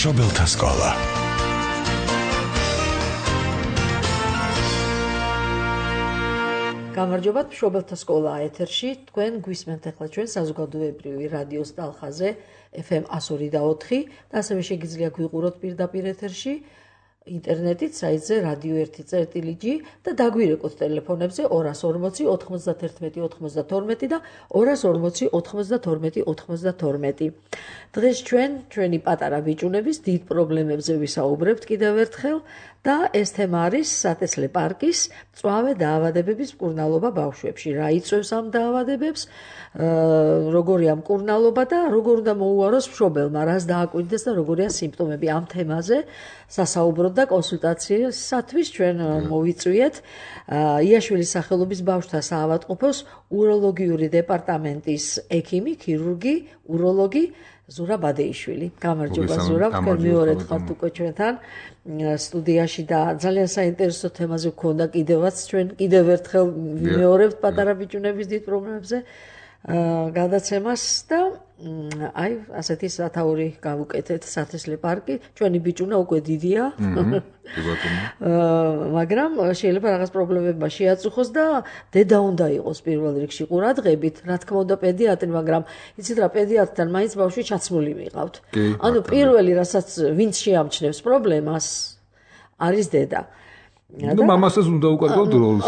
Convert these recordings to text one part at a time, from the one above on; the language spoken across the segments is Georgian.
მშობელთა სკოლა. გამარჯობათ, მშობელთა სკოლა ეთერში. თქვენ გვისმენთ ახლა ჩვენ საზოგადოებრივი რადიოს ტალხაზე FM 102.4 და ასევე შეგიძლია გვიყუროთ პირდაპირ ეთერში ინტერნეტით საიტზე radio1.gi და დაგვირეკოთ ტელეფონებზე 240 91 92 და 240 92 92. დღეს ჩვენი პატარა ბიჭუნების დიდ პრობლემებზე ვისაუბრებთ კიდევ ერთხელ და ეს თემა არის სათესლე პარკის მწვავე დაავადებების მკურნალობა ბავშვებში. რა იწვევს ამ დაავადებებს, როგორია მკურნალობა და როგორ უნდა მოუაროს მშობელმა, რას დააკვირდეს და როგორია სიმპტომები ამ თემაზე. სასაუბროდ და კონსულტაციისათვის ჩვენ მოვიწვიეთ იაშვილის სახელობის ბავშვთა საავადმყოფოს უროლოგიური დეპარტამენტის ექიმი, ქირურგი, უროლოგი ზურა ბადეიშვილი. გამარჯობა ზურა, თქვენ მეორედ ხართ უკვე ჩვენთან სტუდიაში და ძალიან საინტერესო თემაზე გქონდა კიდევაც ჩვენ კიდევ ერთხელ ვიმეორებთ პატარა ბიჭუნების დიდ პრობლემებზე გადაცემას და აი ასეთი სათაური გავუკეთეთ სათესლე პარკი. ჩვენი ბიჭუნა უკვე დიდია. მაგრამ შეიძლება რაღაც პრობლემებმა შეაწუხოს და დედა უნდა იყოს პირველ რიგში ყურადღებით. რა თქმა უნდა პედიატრი, მაგრამ იცით რა პედიატრთან მაინც ბავშვი ჩაცმული მიყავთ. ანუ პირველი რასაც ვინც შეამჩნევს პრობლემას არის დედა. და მამასაც უნდა უკავოთ როლს.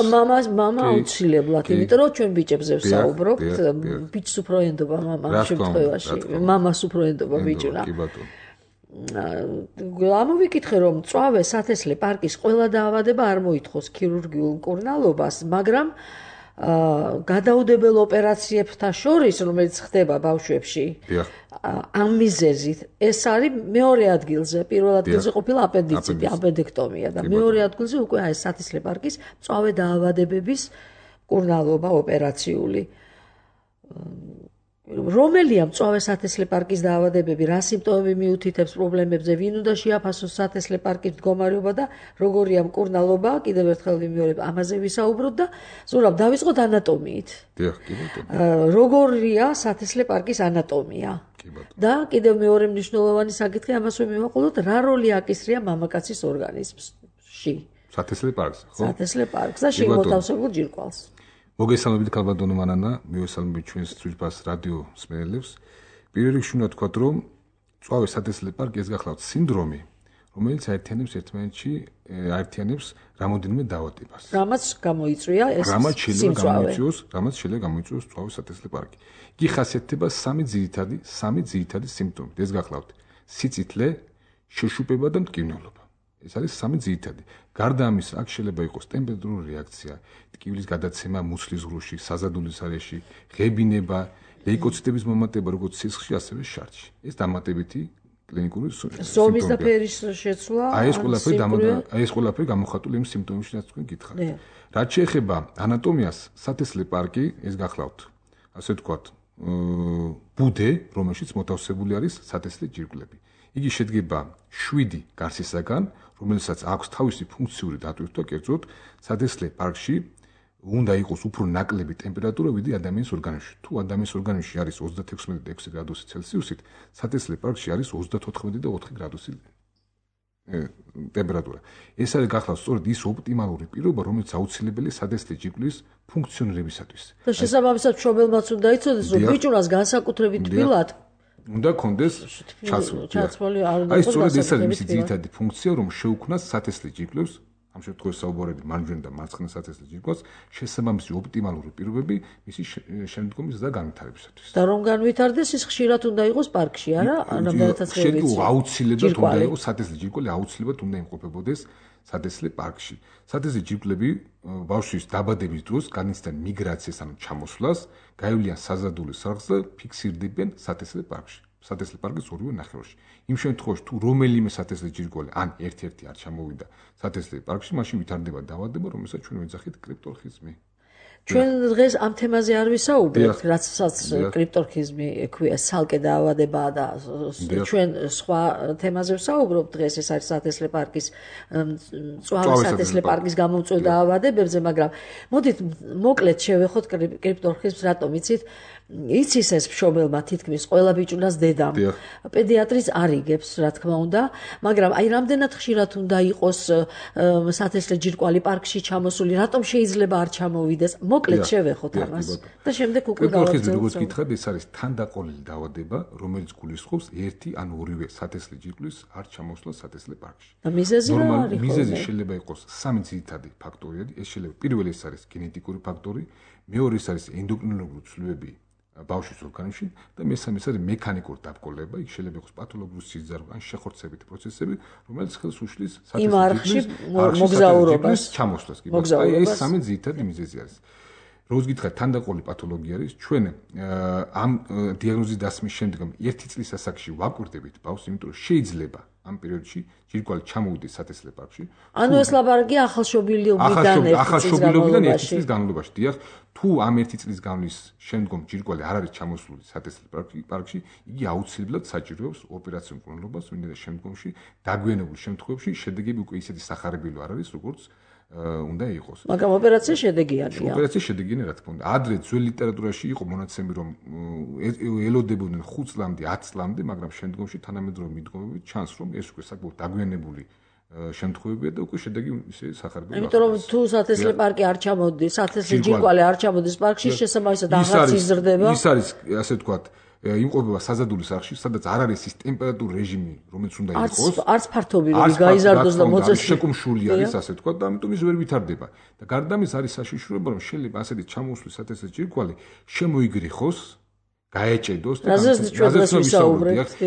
მამა აუცილებლად, იმიტომ რომ ჩვენ ბიჭებზე ვსაუბრობთ, ბიჭს უფრო ენდობა მამა ამ შემთხვევაში. მამას უფრო ენდობა ბიჭუნა. ამოვიკითხე რომ მწვავე სათესლე პარკის ყველა დაავადება არ მოითხოვს ქირურგიულ მკურნალობას, მაგრამ გადაუდებელ ოპერაციებთან შორის, რომელიც ხდება ბავშვებში, ამ მიზეზით ეს არის მეორე ადგილზე. პირველ ადგილზე ყოფილა აპენდიციტი, აპენდექტომია და მეორე ადგილზე უკვე აი სათესლე პარკის მწვავე დაავადებების მკურნალობა ოპერაციული. რომელია მწვავე სათესლე პარკის დაავადებები, რა სიმპტომები მიუთითებს პრობლემებზე, ვინ უნდა შეაფასოს სათესლე პარკის მდგომარეობა და როგორია მკურნალობა, კიდევ ერთხელ ვიმეორებ, ამაზე ვისაუბროთ და ზურაბ დავიწყოთ ანატომიით. როგორია სათესლე პარკის ანატომია? და კიდევ მეორე მნიშვნელოვანი საკითხი ამას ვიმოვაყოლოთ, რა როლი აკისრია მამაკაცის ორგანიზმში? სათესლე პარკს, ხო? სათესლე პარკს და შემოთავსებულ ჯირკვალს. მოგესალმებით ქალბატონო მანანა, მივესალმებით ჩვენს ძვირფას რადიო მსმენელებს. პირველ რიგში უნდა ვთქვათ, რომ მწვავე სათესლე პარკი ეს გახლავთ სინდრომი, რომელიც აერთიანებს რამოდენიმე დაავადებას. რამაც გამოიწვია ეს სიმწვავე. რამაც შეიძლება გამოიწვიოს მწვავე სათესლე პარკი. იგი ხასიათდება სამი ძირითადი სიმპტომით. ეს გახლავთ სიწითლე, შეშუპება და მტკივნეულობა. ეს არის სამი ძირითადი. გარდა ამისა, აქ შეიძლება იყოს ტემპერატურული რეაქცია, ტკივილის გადაცემა მუცლის ღრუში, საზადულის არეში, ღებინება, ლეიკოციტების მომატება როგორც სისხლში, ასევე შარდში. ეს დამატებითი კლინიკური ზომის და ფერის შეცვლა. ეს ყველაფერი გამოხატული იმ სიმპტომებში, რაც თქვენ გითხარით. რაც შეეხება ანატომიას, სათესლე პარკი, ეს გახლავთ, ასე ვთქვათ, ბუდე, რომელშიც მოთავსებული არის სათესლე ჯირკვლები. იგი შედგება 7 გარსისაგან, რომელსაც აქვს თავისი ფუნქციური დატვირთვა, კერძოდ სათესლე პარკში უნდა იყოს უფრო ნაკლები ტემპერატურა ვიდრე ადამიანის ორგანიზმში. თუ ადამიანის ორგანიზმში არის 36 გრადუსი ცელსიუსით, სათესლე პარკში არის 34 და 4 გრადუსი ტემპერატურა. ეს არის გახლავთ სწორედ ის ოპტიმალური პირობა, რომელიც აუცილებელია სათესლე ჯირკვლის ფუნქციონირებისათვის. და შესაბამისად მშობელმაც უნდა იცოდეს, რომ ბიჭუნას განსაკუთრებით თბილად უნდა კონდეს ჩაცმული. აი სწორედ ეს არის მისი ძირითადი ფუნქცია, რომ შეუქმნას სათესლე ჯირკვლებს, ამ შემთხვევაში საუბარები მარჯვენა და მარცხენა სათესლე ჯირკვალს, შესაბამისი ოპტიმალური პირობები მისი შემდგომის და განვითარებისათვის. და რომ განვითარდეს, ის ხშირად უნდა იყოს პარკში, არა? რამდენადაც შეიძლება აუცილებლად უნდა იყოს სათესლე ჯირკვალი, აუცილებლად უნდა იმყოფებოდეს სათესლე პარკში. სათესლე ჯირკვლები ბავშვის დაბადების დროს განიცდიან მიგრაციას, ანუ ჩამოსვლას, გაივლიან საზადულის სახლს და ფიქსირდებიან სათესლე პარკში. სათესლე პარკის ორივე ნახევარში. იმ შემთხვევაში თუ რომელიმე სათესლე ჯირკვალი ან ერთ-ერთი არ ჩამოვიდა სათესლე პარკში, მაშინ ვითარდება დაავადება, რომელსაც ჩვენ ვეძახით კრიპტორხიზმი. ჩვენ დღეს ამ თემაზე არ ვისაუბრებთ, რაცაც კრიპტორხიზმი ექვია, ცალკე დაავადებაა და ჩვენ სხვა თემაზე ვსაუბრობთ დღეს, ეს არის სათესლე პარკის მწვავე სათესლე პარკის გამომწვევ დაავადებებზე, მაგრამ მოდით მოკლედ შევეხოთ კრიპტორხიზმს, რატომ იცით? იცის ეს მშობელმა თითქმის ყველა ბიჭუნას დედამ. პედიატრიც არ იგებს, რა თქმა უნდა, მაგრამ აი რამდენად ხშირად უნდა იყოს სათესლე ჯირკვალი პარკში ჩამოსული, რატომ შეიძლება არ ჩამოვიდეს? მოკლედ შევეხოთ ამას და შემდეგ უკვე გავაგრძელებთ. როგორც გითხრათ, ეს არის თანდაყოლილი დაავადება, რომელიც გულისხმობს ერთი ან ორივე სათესლე ჯირკვლის არ ჩამოსვლა სათესლე პარკში. და მიზეზი რა არის? მიზეზი შეიძლება იყოს სამი ძირითადი ფაქტორი. ეს შეიძლება პირველი ეს არის გენეტიკური ფაქტორი, მეორე ეს არის ენდოკრინოლოგიური ცვლილებები ბავშვის ორგანიზმში და მესამე ეს არის მექანიკური დაბკოლება, იქ შეიძლება იყოს პათოლოგიური სიზარღვე ან შეხორცებითი პროცესები, რომელიც ხელს უშლის სათესლე მოგზაურობას ჩამოსვლას. აი ეს სამი ძირითადი მიზეზი არის. როგორც გითხრათ, თანდაყოლილი პათოლოგია არის. ჩვენ ამ დიაგნოზის დასმის შემდეგ ერთი წლის ასაკში ვაკვირდებით ბავშვს, იმიტომ რომ შეიძლება ამ პერიოდში ჯირკვალი ჩამოვიდეს სათესლე პარკში. ანუ ეს ლაბარაკია ახალშობილობიდან ერთი წლის განმავლობაში. დიახ, თუ ამ ერთი წლის განმავლობის შემდგომ ჯირკვალი არ არის ჩამოსული სათესლე პარკში, იგი აუცილებლად საჭიროებს ოპერაციულ მკვლელობას, ვინმე შემდგომში დაგვიანებულ შემთხვევებში შედეგები უკვე ისეთი სახარებილი არ არის, როგორც უნდა იყოს. მაგრამ ოპერაცია შედეგიანია. ოპერაცია შედეგიანი, რა თქმა უნდა. ადრე ძველ ლიტერატურაში იყო მონაცემები, რომ ელოდებოდნენ 5 წლამდე, 10 წლამდე, მაგრამ შემდგომში თანამედროვე მიდგომებით ჩანს, რომ ეს უკვე საკმაოდ დაგვიანებული შემთხვევებია და უკვე შედეგი ისე სახარბილი. იმიტომ რომ თუ სათესლე პარკი არ ჩამოდის, სათესლე ჯირკვალი არ ჩამოდის პარკში, შესაბამისად აღარც იზრდება. ის არის, ასე ვთქვათ, იმყოფება საზადული სახლში, სადაც არ არის ის ტემპერატურის რეჟიმი, რომელიც უნდა იყოს. არც ფართობი რომ გაიზარდოს და მოწესრიგოს. შეკუმშული არის, ასე ვთქვათ, და ამიტომ ის ვერ ვითარდება. და გარდა ამის არის საშიშროება, რომ შეიძლება ასეთი ჩამოსვლის სათესლე ჯირკვალი შემოიგრიხოს, გაეჭედოს და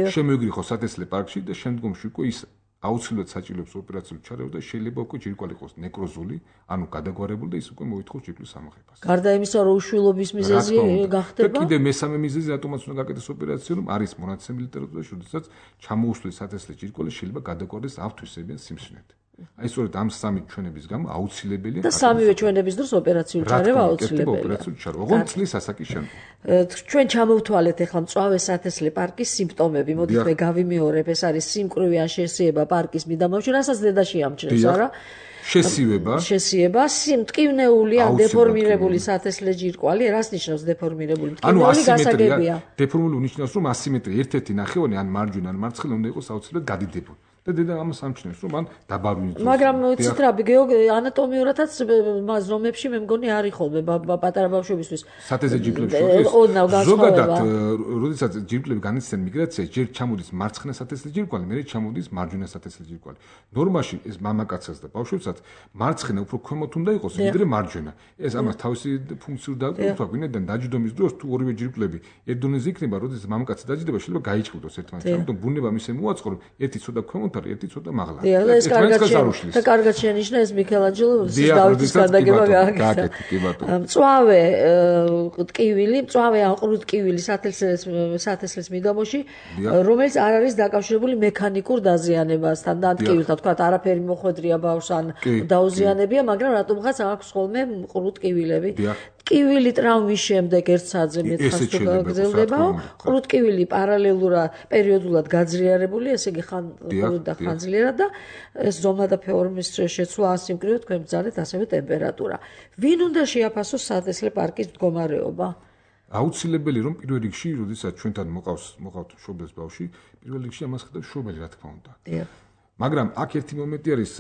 შემოიგრიხოს სათესლე პარკში და შემდგომში უკვე ის აუცილებლად საჭიროებს ოპერაციულ ჩარევას და შეიძლება უკვე ჯირკვალი იყოს ნეკროზული, ანუ გადაგვარებული და ის უკვე მოითხოვს ჯირკვლის ამოღებას. გარდა იმისა, რომ უშვილობის მიზეზი გახდება. და კიდე მესამე მიზეზი, რატომაც უნდა გაკეთდეს ოპერაცია, რომ არის მონაცემი ლიტერატურაში, როდესაც ჩამოუსვლის სათესლე ჯირკვალი შეიძლება გადაგვარდეს ავთვისებიან სიმსვნედ. აი სწორედ ამ სამი ჩვენების გამო აუცილებელია და სამივე ჩვენების დროს ოპერაციული ჩარევა აუცილებელია. ოპერაციული ჩარევა, ოღონდ წლის ასაკის შემდეგ. ჩვენ ჩამოვთვალეთ ახლა მწვავე სათესლე პარკის სიმპტომები. მოდით მე გავიმეორებ, ეს არის სიმკვრივი ან შესიება პარკის მიდამოში, რასაც დედა შეამჩნევს, არა? შესიება, მტკივნეული ან დეფორმირებული სათესლე ჯირკვალი, რას ნიშნავს დეფორმირებული? მტკივნეული გასაგებია. დეფორმირებული ნიშნავს, რომ ასიმეტრია ერთ-ერთი ნახევარი ან მარჯვენა ან მარცხენა უნდა იყოს აუცილებლად გადიდებული. და დედა ამას ამჩნევს, რომ მან დაბარული იყოს. მაგრამ ვიცით რა, ანატომიურადაც ზომებში მე მგონი არის ხოლმე პატარა ბავშვებისთვის. სათესლე ჯირკვლებში ზოგადად, როდესაც ჯირკვლები განიცდიან მიგრაციას, ჯერ ჩამოდის მარცხენა სათესლე ჯირკვალი, მერე ჩამოდის მარჯვენა სათესლე ჯირკვალი. ნორმაში ეს მამაკაცსაც და ბავშვებსაც მარცხენა უფრო ქვემოთ უნდა იყოს, ვიდრე მარჯვენა. ეს ამას თავისი ფუნქციური დაკვირვება აქვს, ვინაიდან დაჯდომის დროს თუ ორივე ჯირკვლები ერთ დონეზე იქნება, როდესაც მამაკაცი დაჯდება, შეიძლება გაიჭყუდოს ერთმანეთს. ამიტომ ბუნება მისე მოაწყო, რომ ერთი ცოტა ქვემოთ არის, ერთი ცოტა მაღლა. ეს კარგად შენიშნა ეს მიქელანჯელოს დავითის გადაგება გააკეთა. მწვავე ტკივილი, მწვავე ან ყრუ ტკივილი სათესლეს მიდამოში, რომელიც არ არის დაკავშირებული მექანიკურ დაზიანებასთან და ტკივილთან, თქვათ, არაფერი მოხვედრია ბავშვს ან დაუზიანებია, მაგრამ რატომღაც აქვს ხოლმე ყრუ ტკივილები. ტკივილი ტრაუმის შემდეგ ერთ საათზე მეტხანს თუ გაგრძელდებაო, ყრუ ტკივილი პარალელურად პერიოდულად გაძლიერებული, ესე იგი ხანძლიერად და ეს ზომა და ფორმის შეცვლა ასიმკრივო თქვენ ბრძანეთ ასევე ტემპერატურა. ვინ უნდა შეაფასოს სათესლე პარკის მდგომარეობა? აუცილებელი რომ პირველ რიგში, როდესაც ჩვენთან მოყავთ მშობელს ბავშვი, პირველ რიგში ამას ხედავს მშობელი, რა თქმა უნდა. მაგრამ აქ ერთი მომენტი არის,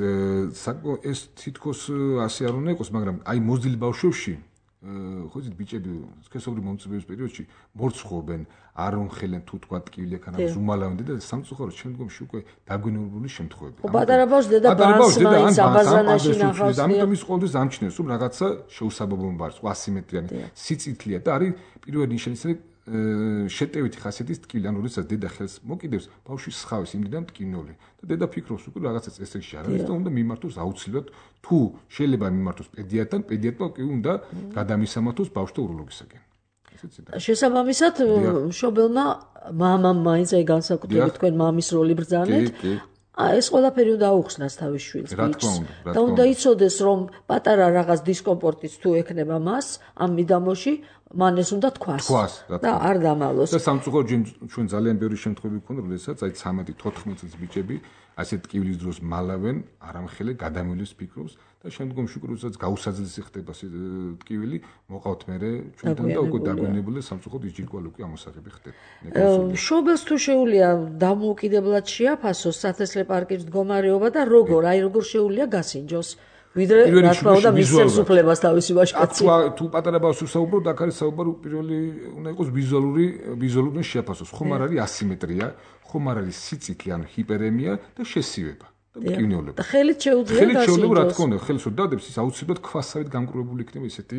ეს თითქოს ასე არ უნდა იყოს, მაგრამ აი მოზრდილ ბავშვებში ხო იცით ბიჭები სქესობრივ მომწიფების პერიოდში მორცხოვენ, არ უმხელენ თუ თქვა ტკივილი აქ ან ზუმალავენ და სამწუხაროდ შემდგომში უკვე დაგვიანებული შემთხვევები. პატარა ბავშვი დედა ბანს მაინც აბაზანაში ნახავს. ამიტომ ის ყოველთვის ამჩნევს, რომ რაღაცა შეუსაბამობა არის, ასიმეტრიანი სიწითლეა და არის პირველ ნიშანი შეტევითი ხასიათის ტკივილი, ანუ როდესაც დედა ხელს მოკიდებს, ბავშვი სხავის იმდიდან ტკივნეული და დედა ფიქრობს უკვე რაღაცა წესრიგში არ არის და უნდა მიმართოს აუცილებლად, თუ შეიძლება მიმართოს პედიატრთან, პედიატრმა კი უნდა გადამისამართოს ბავშვთა უროლოგისაკენ. შესაბამისად, მშობელმა მამამ მაინც აი განსაკუთრებით თქვენ მამის როლი ბრძანეთ. ეს ყველაფერი უნდა აუხსნას თავის შვილს და უნდა იცოდეს, რომ პატარა რაღაც დისკომფორტიც თუ ექნება მას ამ მიდამოში, მან ეს უნდა თქვას და არ დამალოს. და სამწუხაროდ ჩვენ ძალიან ბევრი შემთხვევები გვქონდა, როდესაც აი 13-14 წლის ბიჭები ასეთ ტკივილის დროს მალავენ, არამხელე გადამილვის ფიქრობს და შემდგომში როდესაც გაუსაძლისი ხდება ტკივილი, მოყავთ მერე ჩვენთან და უკვე დაგვენებული სამწუხაროდ ის ჯირკვალი უკვე ამოსაღები ხდება. შობელს თუ შეუძლია დამოუკიდებლად შეაფასოს სათესლე პარკის მდგომარეობა და როგორ შეუძლია გასინჯოს ვიდრე რა თქმა უნდა მის ხელისუფლებას თავისი ვაჟკაცი. თუ პატარა ბავშვს ვსაუბრობ, აქ არის საუბარი პირველი უნდა იყოს ვიზუალური შეაფასოს. ხომ არ არის ასიმეტრია, ხომ არ არის სიციკლი, ანუ ჰიპერემია და შესივება. და მტკივნეულობა. და ხელით შეუძლია გასინჯოს. რა თქმა უნდა, ხელს ვერ დადებს, ის აუცილებლად ქვასავით გამკრუებული იქნება ისეთი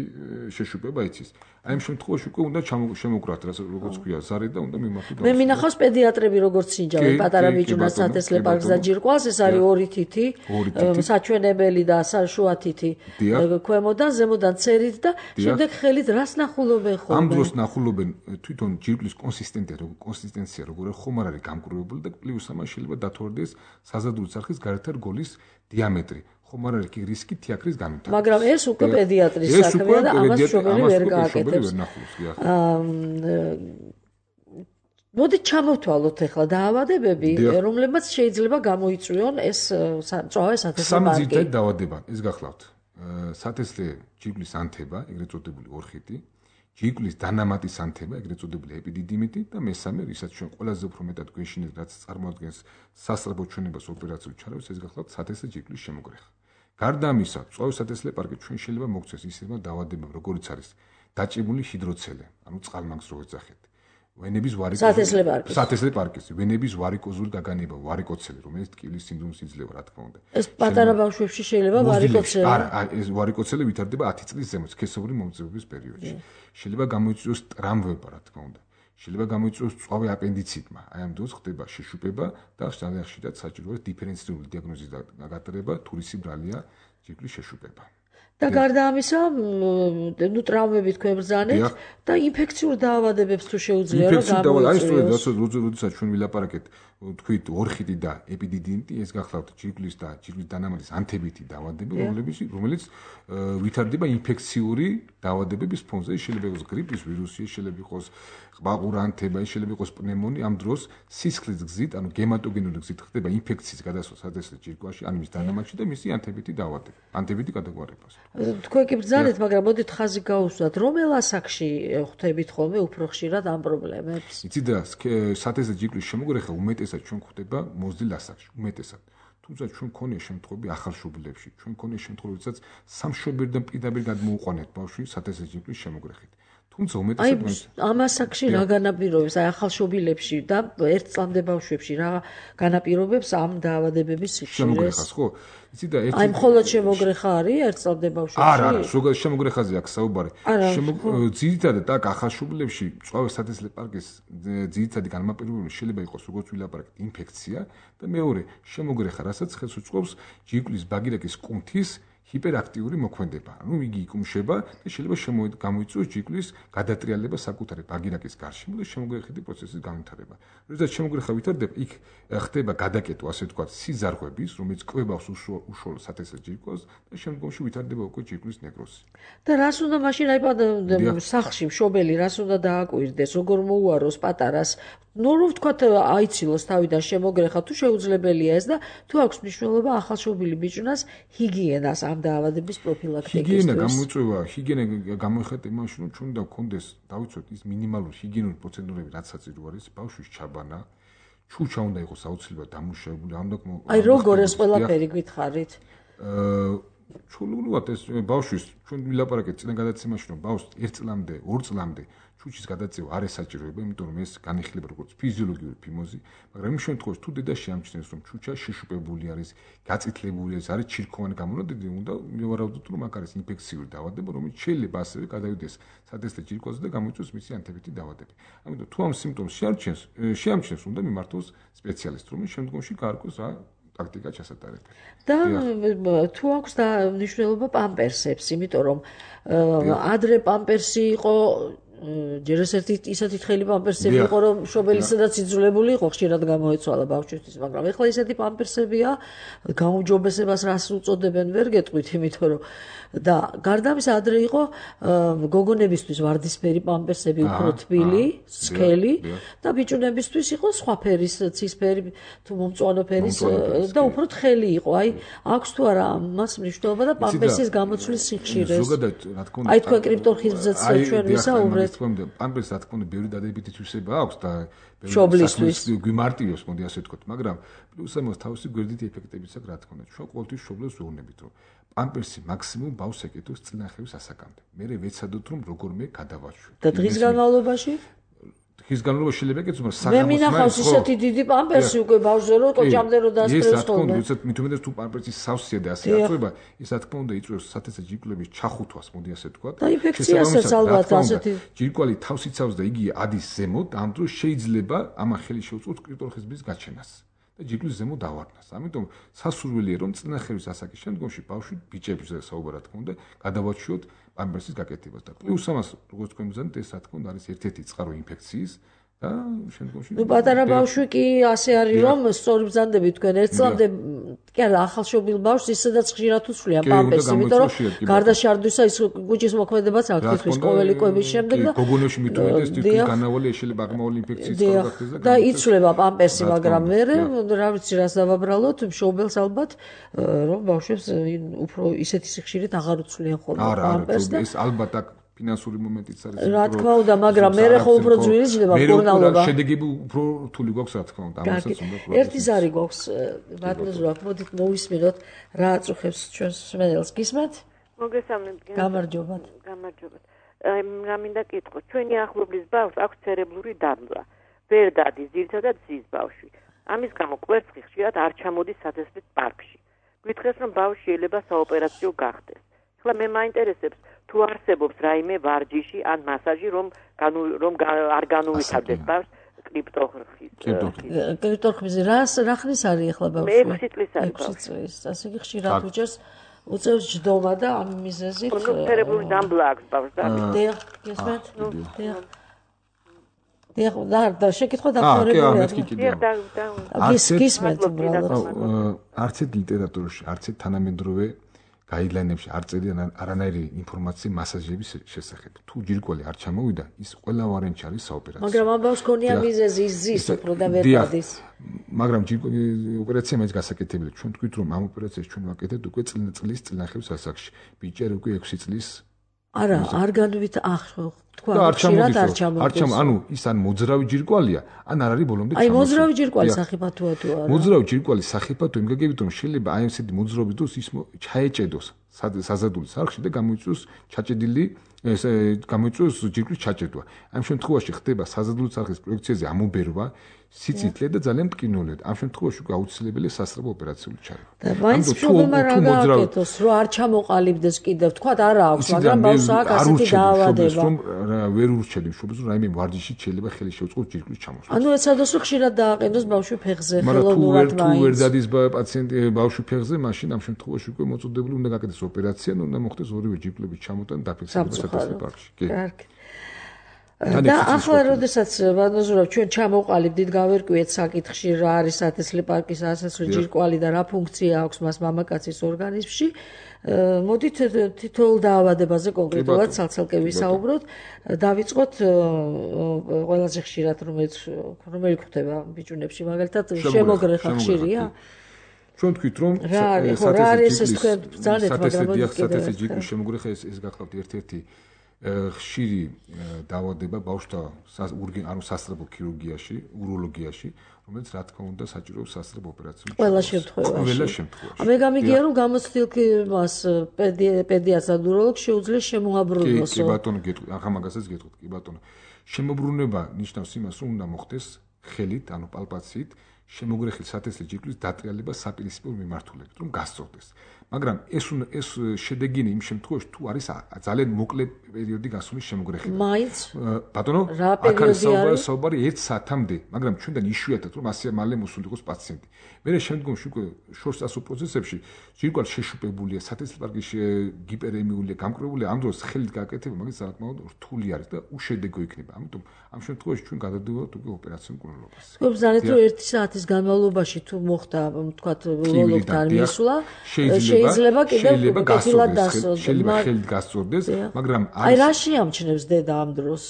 შეშუპება იცის. აი ამ შემთხვევაში უკვე უნდა შემოგრათ, როგორც ქვია, ზარი და უნდა მიმართოთ. მე მინახავს პედიატრები როგორც სინჯავენ პატარა ბიჭუნას სათესლე პარკს და ჯირკვალს, ეს არის ორი თითი, საჩვენებელი და შუა თითი ქვემოდან, ზემოდან ცერით და შემდეგ ხელით რას ნახულობენ ხოლმე? ამ დროს ნახულობენ თვითონ ჯირკვლის კონსისტენცია როგორ ხომ არ არის გამკრუებული და პლუს ამას შეიძლება დათვალიერდეს საზადური წარხის გარეთ რგოლის დიამეტრი. ხომ არ არის კი რისკი თიაქრის განვითარებას. მაგრამ ეს უკვე პედიატრის საქმეა და ამას შობელი ვერ გააკეთებს. მოდით ჩამოვთვალოთ ახლა დაავადებები, რომლებმაც შეიძლება გამოიწვიონ ეს წვავე სათესლე პარკი. სამი ძირითადი დაავადება, ეს გახლავთ. სათესლე ჯირკვლის ანთება, ეგრეთ წოდებული ორხიტი, ჯირკვლის დანამატის ანთება, ეგრეთ წოდებული ეპიდიდიმიტი და მესამე, ისაც ჩვენ ყველაზე უფრო მეტად გვეშინეთ, რაც წარმოადგენს სასწრაფო ჩვენებას ოპერაციულ ჩარევს, ეს გახლავთ სათესლე ჯირკვლის შემოგრეხა. გარდა ამისა, წვავე სათესლე პარკი ჩვენ შეიძლება მოგცეს ისეთმა დაავადებამ, როგორიც არის დაჭიმული ჰიდროცელე, ანუ წყალმაგს რო ეძახეთ. ვენების სათესლე პარკის, ვენების ვარიკოზული გაგანება, ვარიკოცელი, რომელიც ტკივილის სინდრომს იძლევა, რა თქმა უნდა. ეს პატარა ბავშვებში შეიძლება ვარიკოცელი. არა, ეს ვარიკოცელი ვითარდება 10 წლის ზემოთ, სქესობრივი მომწვევების პერიოდში. შეიძლება გამოიწვიოს ტრამვება, რა თქმა უნდა. შეიძლება გამოიწვიოს წვავე აპენდიციტმა. აი ამ დროს ხდება შეშუპება და ძალიან ხშირად საჭიროა დიფერენცირებული დიაგნოზის გატარება, თურისი ბრალია ჯირკვლის შეშუპება. და გარდა ამისა, ტრამვები თქვენ ბრძანეთ და ინფექციურ დაავადებებს თუ შეუძლია რომ გამოიწვიოს. როდესაც ჩვენ ვილაპარაკეთ, თქვით ორხიტი და ეპიდიდიმიტი, ეს გახლავთ ჯირკვლის და ჯირკვლის დანამატის ანთებითი დაავადებები, რომელიც ვითარდება ინფექციური დაავადებების ფონზე. შეიძლება იყოს გრიპის ვირუსი, შეიძლება იყოს ყბაყურა ანთება, შეიძლება იყოს პნემონია. ამ დროს სისხლის გზით, ანუ გემატოგენური გზით ხდება ინფექციის გადასვლა სათესლე ჯირკვაში, ან მის დანამატში და მისი ანთებითი დაავადება, ანთებითი გადაგვარებას. თქვენ კი ბრძანეთ, მაგრამ მოდით ხაზი გაუსვათ, რომელ ასაკში ხვდებით ხოლმე უფრო ხშირად ამ პრობლემებს? იცით რა, სათესლე ჯირკვლის შემოგრეხა უმეტესად ჩვენ ხვდება მოზრდილ ასაკში, უმეტესად. თუმცა ჩვენ მქონია შემთხვევები ახალშობილებში, ჩვენ მქონია შემთხვევები, როდესაც სამშობლოდან პირდაპირ გადმოუყვანეთ ბავშვი სათესლე ჯირკვლის შემოგრეხით. თუმცა უმეტესად ამ ასაკში რა განაპირობებს, აი ახალშობილებში და ერთ წლამდე ბავშვებში რა განაპირობებს ამ დაავადებების სიხშირეს? შემოგრეხას, ხო? იცით და აი მხოლოდ შემოგრეხა არის ერთ წლამდე ბავშვებში? არა, ზოგადად შემოგრეხაზე აქვს საუბარი. ძირითადად აქ ახალშობილებში წვავე სათესლე პარკის ძირითადი განმაპირობებელი შეიძლება იყოს როგორც ვილაპარაკეთ ინფექცია და მეორე შემოგრეხა, რასაც ხელს უწყობს ჯირკვლის ბაგირაკის კუნთის ჰიპერაქტიური მოქმედება. ანუ იგი იკუმშება და შეიძლება გამოიწვიოს ჯირკვლის გადატრიალება საკუთარი ბაგირაკის გარშემო და შემოგრეხითი პროცესის განვითარება. როდესაც შემოგრეხა ვითარდება, იქ ხდება გადაკეტვა, ასე ვთქვათ, სიზარღვების, რომელიც კვებავს უშუალო სათესლე ჯირკვალს და შემდგომში ვითარდება უკვე ჯირკვლის ნეკროზი. და რას უნდა მაშინ აი სახლში მშობელი რას უნდა დააკვირდეს, როგორ მოუაროს პატარას? ნუ რომ ვთქვათ აიცილოს თავიდან შემოგრეხა, თუ შეუძლებელია ეს და თუ აქვს მნიშვნელობა ახალშობილი ბიჭუნას ჰიგიენას ამ დაავადების პროფილაქტიკისთვის. ჰიგიენა გამოიწვევა, ჰიგიენა გამოიხატება იმაში, რომ ჩვენ უნდა გქონდეს, დავიცვათ ის მინიმალური ჰიგიენური პროცედურები, რაც საჭირო არის ბავშვის ჩაბანა, ჩუჩა უნდა იყოს აუცილებლად დამუშავებული, აი როგორ ეს ყველაფერი გითხარით? ჩულულად ეს ბავშვის ჩვენ ვილაპარაკეთ წინა გადაცემაში, რომ ბავშვს 1 წლამდე, 2 წლამდე ჩუჩის გადაწევა არ ესაჭიროება, იმიტომ რომ ეს განიხილება როგორც ფიზიოლოგიური ფიმოზი, მაგრამ იმ შემთხვევაში თუ დედა შეამჩნევს, რომ ჩუჩა შეშუპებული არის, გაწითლებული არის ჩირქოვანი გამონადენი, უნდა მივარაუდოთ, რომ აქ არის ინფექციური დაავადება, რომელიც შეიძლება ასევე გადავიდეს სათესლე ჯირკვალზე და გამოიწვიოს მისი ანთებითი დაავადება. ამიტომ თუ ამ სიმპტომს შეამჩნევს, უნდა მიმართოს სპეციალისტს, რომელიც შემდგომში გაარკვევს რა ტაქტიკა ჩასატარებელი. და თუ აქვს მნიშვნელობა პამპერსებს, იმიტომ რომ ადრე პამპერსი იყო ჯერ ისეთი თხელი პამპერსები იყო, რომ მშობელისადაც იძულებული იყო ხშირად გამოეცვალა ბავშვისთვის, მაგრამ ეხლა ისეთი პამპერსებია, გაუმჯობესებას რას უწოდებენ, ვერ გეტყვით, იმიტომ რომ და გარდა ამისა ადრე იყო გოგონებისთვის ვარდისფერი პამპერსები უფრო თბილი, სქელი და ბიჭუნებისთვის იყო სხვა ფერის, ცისფერი თუ მომწვანო ფერის და უფრო თხელი იყო. აი, აქვს თუ არა მას მნიშვნელობა და პამპერსის გამოცვლის სიხშირეს. ზოგადად, რა თქმა უნდა, აი თქვენ კრიპტორხიზმზეც ჩვენ ვისაუბრეთ. პამპერს რა თქმა უნდა, ბევრი დადებითი თვისება აქვს და მშობლისთვის გვიმარტივებს, მოდი ასე ვთქვათ, მაგრამ პლუს ამას თავისი გვერდითი ეფექტებიც აქვს, რა თქმა უნდა. ჩვენ ყოველთვის მშობლებს ვეუბნებით, რომ პამპერსი მაქსიმუმ ბავშვს ეკეთოს წინახევის ასაკამდე. მერე ვეცადოთ, რომ როგორმე გადავაშვით. და დღის განმავლობაში? დღის განმავლობაში შეიძლება ეკეთოს, მაგრამ მე მინახავს ისეთი დიდი პამპერსი უკვე ბავშვზე, რომ კოჭამდე რომ დაასწრებს ხოლმე. ეს რა თქმა უნდა, მით უმეტეს თუ პამპერსი სავსეა და ასე აწובה, ეს რა თქმა უნდა იწვევს სათესა ჯირკვლების ჩახუთვას, მოდი ასე ვთქვათ. და ინფექციასაც ალბათ ასეთი. ჯირკვალი თავს იცავს და იგი ადის ზემოთ, ამ დროს შეიძლება ამა ხელი შეუწყოთ კრიპტორხიზმის გაჩენას. და ჯირკვლის ზემო დავარდნას. ამიტომ სასურველია რომ წინახევის ასაკის შემდგომში ბავშვი ბიჭებზე საუბარ რა თქმა უნდა გადავაჩვიოთ პამპერსის გაკეთებას და პლუს ამას როგორც თქვენ ვზანეთ ეს რა თქმა უნდა არის ერთ-ერთი წყარო ინფექციის და შემდგომში ნუ პატარა ბავშვი კი ასე არის რომ სწორი ბრძანდები თქვენ ერთ წლამდე კი არა ახალშობილ ბავშვს ისედაც ხშირად უსვლიან პამპერსი იმიტომ რომ გარდა შარდვისა ის გუჭის მოქმედებაც აქვს თითქოს ყოველი კვების შემდეგ და გოგონებში მით უმეტეს თითქოს განავალი შეიძლება აღმავალი ინფექციის წყალგახდეს და იცვლება პამპერსი მაგრამ მე რა ვიცი რას დავაბრალოთ მშობელს ალბათ რომ ბავშვებს უფრო ისეთი სიხშირით აღარ უცვლიან ხოლმე პამპერსს და ეს ალბათ აქ ფინანსური მომენტიც არის. რა თქმა უნდა, მაგრამ მე ხო უფრო ძვირიდება კურნალობა. შედეგები უფრო რთული გვაქვს, რა თქმა უნდა, ამასაც უნდა პრობლემა. ერთი ზარი გვაქვს, ბატონო, მოდით მოვისმინოთ რა აწუხებს ჩვენს მსმენელს. გისმენთ? მოგესალმებით. გამარჯობათ. გამარჯობათ. რა მინდა კითხო, ჩვენი ახლობლის ბავშვს აქვს ცერებლური დამბლა. ვერ დადის, ძირითადად ზის ბავშვი. ამის გამო კვერცხი ხშირად არ ჩამოდის სათესლით პარკში. გითხრეს, რომ ბავშვი შეიძლება საოპერაციო გახდეს. ახლა მე მაინტერესებს თუ არსებობს რაიმე ვარჯიში ან მასაჟი რომ არ განუვითარდეს ბავშვს კრიპტორხიზმი რა ხნის არის ახლა ბავშვი? 6 წლის არის. 6 წლის. ასე იგი ხშირად უჭერს უწევს ჯდომა და ამ მიზეზით ცერებლური დამბლა აქვს ბავშვს და დიახ, გესმენთ? დიახ, და შეკითხვა დაფარებულია. გისმენთ უბრალოდ. არც ერთ ლიტერატურაში, არც ერთ თანამედროვე გაიდლაინებში არ წერიან არანაირი ინფორმაცია მასაჟების შესახებ. თუ ჯირკვალი არ ჩამოვიდა, ის ყველა ვარიანტი არის საოპერაციო. მაგრამ ამ ბავშვს ქონია მიზეზი ის ზის უფრო და ვერ დადის. მაგრამ ოპერაცია მაინც გასაკეთებელია. ჩვენ თქვით რომ ამ ოპერაციას ჩვენ ვაკეთებთ უკვე წლის წინახევის ასაკში. ბიჭერი უკვე 6 წლის არა, არ განვით თქვა ხშირად არ ჩამოდის. ანუ ის ან მოძრავი ჯირკვალია, ან არ არის ბოლომდე ჩამოსული. აი მოძრავი ჯირკვალი სახიფათოა თუ არა? მოძრავი ჯირკვალი სახიფათო იმ გაგებით რომ შეიძლება აი ესეთი მოძრაობის დროს ის ჩაეჭედოს საზადულის არხში და გამოიწვიოს ჩაჭედილი გამოიწვიოს ჯირკვლის ჩაჭედვა. ამ შემთხვევაში ხდება საზადულის არხის პროექციაზე ამობერვა, სიცითლე და ძალიან მტკივნეულია. ამ შემთხვევაში უკვე აუცილებელია სასწრაფო ოპერაციული ჩარევა. და მაინც პრობლემა რა გააკეთოს, რომ არ ჩამოყალიბდეს კიდევ, თქვა არა აქვს, მაგრამ ბავშვს აქვს ასეთი დაავადება. რომ ვერ ურჩევდი მშობელს, რომ რაიმე ვარჯიში შეიძლება ხელი შეუწყოს ჯირკვლის ჩამოსვლას. ანუ ეცადოს რომ ხშირად დააყენოს ბავშვი ფეხზე, ხელოვნურად მაინც. მაგრამ თუ ვერ დადის პაციენტი ბავშვი ფეხზე, მაშინ ამ შემთხვევაში უკვე მოწოდებული უნდა გაკეთდეს ოპერაცია, უნდა მოხდეს ორივე ჯირკვლების ჩამოტანა და დაფიქსირება სათესლე პარკში. კარგი. და ახლა როდესაც ბატონო ჩვენ ჩამოყალიბდით გავერკვიეთ საკითხში რა არის სათესლე პარკის ასასვლელი ჯირკვალი და რა ფუნქცია აქვს მას მამაკაცის ორგანიზმში მოდით თითოეულ დაავადებაზე კონკრეტულად ცალ-ცალკე ვისაუბროთ დავიწყოთ ყველაზე ხშირად რომელი გვხვდება ბიჭუნებში მაგალითად შემოგრეხა ხშირია ჩვენ თქვით რომ სათესლე ჯირკვის შემოგრეხა ეს გახლავთ ერთ-ერთი ხშირი დაავადება ბავშვთა ანუ სასწრაფო ქირურგიაში, უროლოგიაში, რომელიც რა თქმა უნდა საჭიროებს სასწრაფო ოპერაციებს. ყველა შემთხვევაში. მე გამიგია რომ გამოცდილ მას პედიატრს და უროლოგს შეუძლეს შემოაბრუნოს. კი ბატონო, ახლა მაგასაც გეტყვით, კი ბატონო. შემოbrunება ნიშნავს იმას, რომ უნდა მოხდეს ხელით, ანუ პალპაციით, შემოგრეხილ სათესლე ჯირკვლის დატრიალება საპირისპირო მიმართულებით, რომ გასწორდეს. მაგრამ ეს შედეგია იმ შემთხვევაში, თუ არის ძალიან მოკლე პერიოდი გასული შემოგრეხილება. მაინც ბატონო, აქ არის საუბარი 1 საათამდე, მაგრამ ჩვენთან იშვიათად რომ ასე მალე მოსულიყოს პაციენტი. მერე შემდგომში უკვე შორს წასულ პროცესებში ჯირკვალი შეშუპებულია, სათესლე პარკი გიპერემიულია, გამკრებულია, ამ დროს ხელით გაკეთება მაგის საკმაოდ რთული არის და უშედეგო იქნება. ამიტომ ამ შემთხვევაში ჩვენ გადავდივართ უკვე ოპერაციულ მკვლელობას. გობზანეთ რომ 1 საათის განმავლობაში თუ მოხდა, თქვათ, უროლოგთან მისვლა, შეიძლება კიდევ კეთილად დასწორდეს. შეიძლება ხელით გასწორდეს, მაგრამ აი რა შეამჩნევს დედა ამ დროს?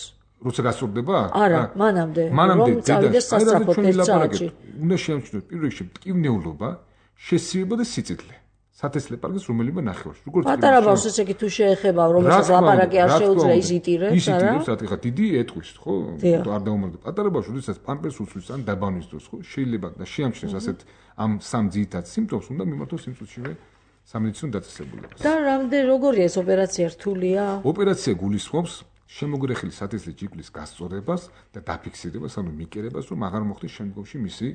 როცა გასწორდება? არა, მანამდე რომ წავიდეს სასწრაფოდ 1 საათში. უნდა შეამჩნიოს პირველ რიგში მტკივნეულობა, შესივება და სიწითლე. სათესლე პარკის რომელიმე ნახევარში. როგორც პატარა ბავშვს ესე კი თუ შეეხება, რომელსაც ლაპარაკი არ შეუძლია, ის იტირებს, არა? იტირებს, რა თქმა უნდა, დიდი ეტყვის, ხო? არ დაუმალდება. პატარა ბავშვს, როდესაც პამპერს უსვლის ან დაბანვის დროს, ხო? შეიძლება და შეამჩნევს ასეთ ამ სამ ძირითად სიმპტომს, უნდა მიმართოს იმ წუთშივე სამედიცინო დაწესებულებას. და როგორია ეს ოპერაცია რთულია? ოპერაცია გულისხმობს შემოგრეხილი სათესლე ჯირკვლის გასწორებას და დაფიქსირებას, ანუ მიკერებას, რომ აღარ მოხდეს შემდგომში მისი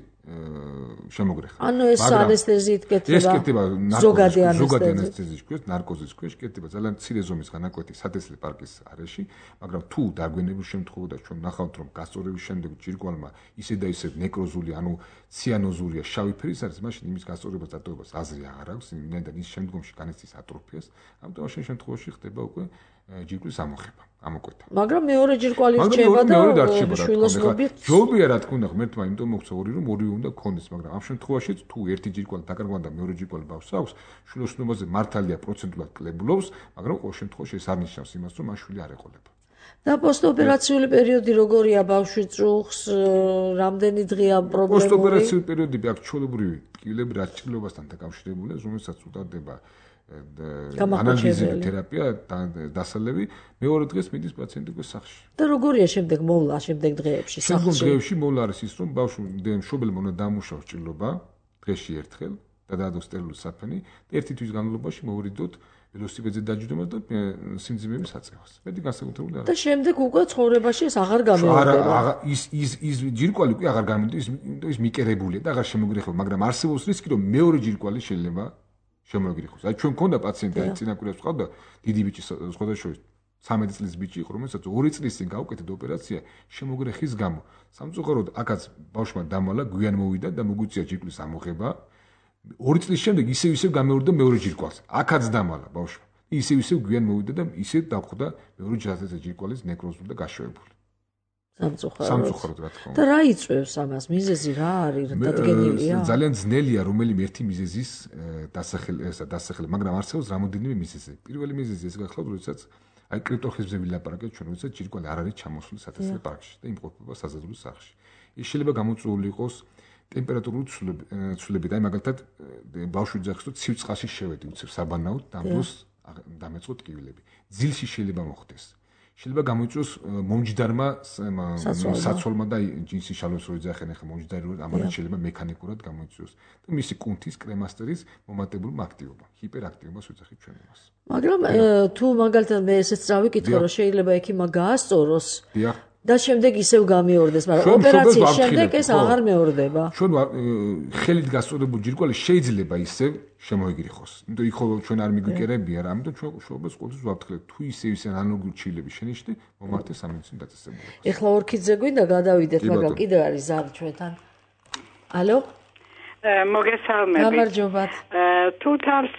შემოგრეხება. ანუ ეს ანესთეზიით კეთდება, ზოგადი ანესთეზიის ქვეშ, ნარკოზის ქვეშ კეთდება ძალიან მცირე ზომის განაკვეთი სათესლე პარკის არეში, მაგრამ თუ დაგვენებულ შემთხვევაში ჩვენ ნახავთ, რომ გასწორების შემდეგ ჯირკვალმა ისე და ისე ნეკროზული, ანუ ციანოზურია, შავი ფერის არის, მაშინ იმის გასწორებას დატოვებას აზრი აღარ აქვს, იმდენად ის შემდგომში განიცდის ატროფიას, ამიტომ ამ შემთხვევაში ხდება უკვე ჯირკვლის ამოხება, ამოკვეთა. მაგრამ მეორე ჯირკვალი რჩება და შვილოსნობით ჯობია რა თქმა უნდა ღმერთმა იმიტომ მოგცა ორი რომ ორივე უნდა გქონდეს, მაგრამ ამ შემთხვევაში თუ ერთი ჯირკვალი დაკარგვა და მეორე ჯირკვალი ბავშვს აქვს, შვილოსნობაზე მართალია პროცენტულად კლებულობს, მაგრამ ყოველ შემთხვევაში ეს არ ნიშნავს იმას, რომ მაშვილი არ ეყოლება. და პოსტოპერაციული პერიოდი როგორია ბავშვი წუხს, რამდენი დღეა პრობლემური? პოსტოპერაციული პერიოდები აქვს ჩვეულებრივი ტკივილები რაჭრილობასთან დაკავშირებულია, რომელსაც უტარდება ანალიზური თერაპია დასალევი, მეორე დღეს მიდის პაციენტი უკვე სახლში. და როგორია შემდეგ მოვლა, შემდეგ დღეებში სახლში? შემდეგ დღეებში მოვლა არის ის, რომ ბავშვი მშობელმა უნდა დამუშავოს ჭრილობა დღეში ერთხელ და დაადოს სტერილული საფენი და ერთი თვის განმავლობაში მოვიდოთ ველოსიპედზე დაჯდომას და სიმძიმეების აწევას. მეტი განსაკუთრებული არა. და შემდეგ უკვე ცხოვრებაში ეს აღარ გამეორდება. არა, ის ჯირკვალი უკვე აღარ გამეორდება, ის მიკერებულია და აღარ შემოგრეხება, მაგრამ არსებობს რისკი, რომ მეორე ჯირკვალი შეიძლება შემოგრეხოს. აი ჩვენ მქონდა პაციენტი, აი წინა კვირას ვყავდა დიდი ბიჭი, სხვადასხვა 13 წლის ბიჭი იყო, რომელსაც 2 წლის წინ გაუკეთეთ ოპერაცია შემოგრეხის გამო. სამწუხაროდ აქაც ბავშვმა დამალა, გვიან მოვიდა და მოგვიწია ჯირკვლის ამოღება. 2 წლის შემდეგ ისევ გამეორდა მეორე ჯირკვალს. აქაც დამალა ბავშვმა. ისევ გვიან მოვიდა და ისევ დახვდა მეორე ჯირკვალის ნეკროზული და გაშოვებული. სამწუხაროდ რა თქმა უნდა. და რა იწვევს ამას? მიზეზი რა არის? დადგენილია? ძალიან ძნელია რომელიმე ერთი მიზეზის დასახელება, მაგრამ არსებობს რამოდენიმე მიზეზი. პირველი მიზეზი ეს გახლავთ, როდესაც აი კრიპტოხიზმზე ვილაპარაკეთ ჩვენ, როდესაც ჯირკვალი არ არის ჩამოსული სათესლე პარკში და იმყოფება საზადლო სახლში. ის შეიძლება გამოწვეული იყოს ტემპერატურული ცვლილებებით. აი მაგალითად ბავშვი ძახს თუ ცივ წყალში შევედი უცებ საბანაოდ და ამ დროს დამეწყო ტკივილები. ძილში შეიძლება მოხდეს. შეიძლება გამოიწვიოს მომჯდარმა საცოლმა და ჯინსის შალოს რო იძახენ ახლა მომჯდარი რო ამან შეიძლება მექანიკურად გამოიწვიოს და მისი კუნთის კრემასტერის მომატებული აქტივობა, ჰიპერაქტივობას ვიძახით ჩვენ იმას. მაგრამ თუ მაგალითად მე ესეც წავიკითხე რომ შეიძლება ექიმა გაასწოროს და შემდეგ ისევ გამეორდეს, მაგრამ ოპერაციის შემდეგ ეს აღარ მეორდება. ჩვენ ხელით გასწორებული ჯირკვალი შეიძლება ისევ შემოიგრიხოს. იმიტომ იქ ხოლმე ჩვენ არ მიგვიკერებია რა, ამიტომ ჩვენ შოუბას ყოველთვის ვაფრთხილებ, თუ ისევ ანალოგიური ჩილები შენიშნე, მომართე სამედიცინო დაწესებულებას. ეხლა ორქიდზე გვინდა გადავიდეთ, მაგრამ კიდევ არის ზარი ჩვენთან. ალო? მოგესალმებით. გამარჯობათ. თუ თავს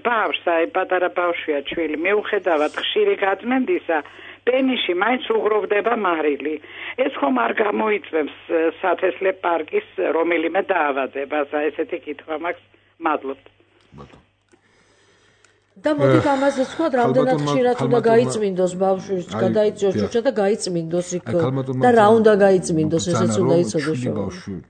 ბავშვს, აი პატარა ბავშვია ჩვილი, მიუხედავად ხშირი გაწმენდისა პენიში მაინც უღროვდება მარილი. ეს ხომ არ გამოიწვევს სათესლე პარკის რომელიმე დაავადებას, ესეთი კითხვა მაქვს. მადლობთ. და მოდით ამაზე ვთქვათ, რამდენად ხშირად უნდა გაიწმინდოს ბავშვს, გადაიწიოს ჩუჩა და გაიწმინდოს იქ და რა უნდა გაიწმინდოს, ესეც უნდა იცოდეს.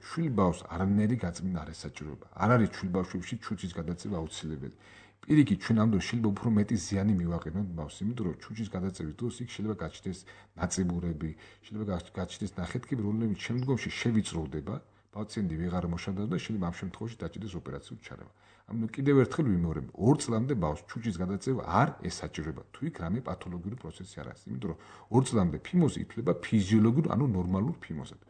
შვილ ბავშვს არანაირი გაწმინდა არ ესაჭიროება. არ არის შვილ ბავშვებში ჩუჩის გადაწევა აუცილებელი. პირიქით ჩვენ ამ დროს შეიძლება უფრო მეტი ზიანი მივაყენოთ ბავშვს, იმიტომ რომ ჩუჩის გადაწევის დროს იქ შეიძლება გაჩნდეს ნაწიბურები, შეიძლება გაჩნდეს ნახეთქები, რომლებიც შემდგომში შევიწროვდება, პაციენტი ვეღარ მოშადავს და შეიძლება ამ შემთხვევაში დაჭირდეს ოპერაციული ჩარევა. ამიტომ კიდევ ერთხელ ვიმეორებ, 2 წლამდე ბავშვს ჩუჩის გადაწევა არ ესაჭიროება, თუ იქ რამე პათოლოგიური პროცესი არ არის, იმიტომ რომ 2 წლამდე ფიმოზი ითვლება ფიზიოლოგიურ, ანუ ნორმალურ ფიმოზად.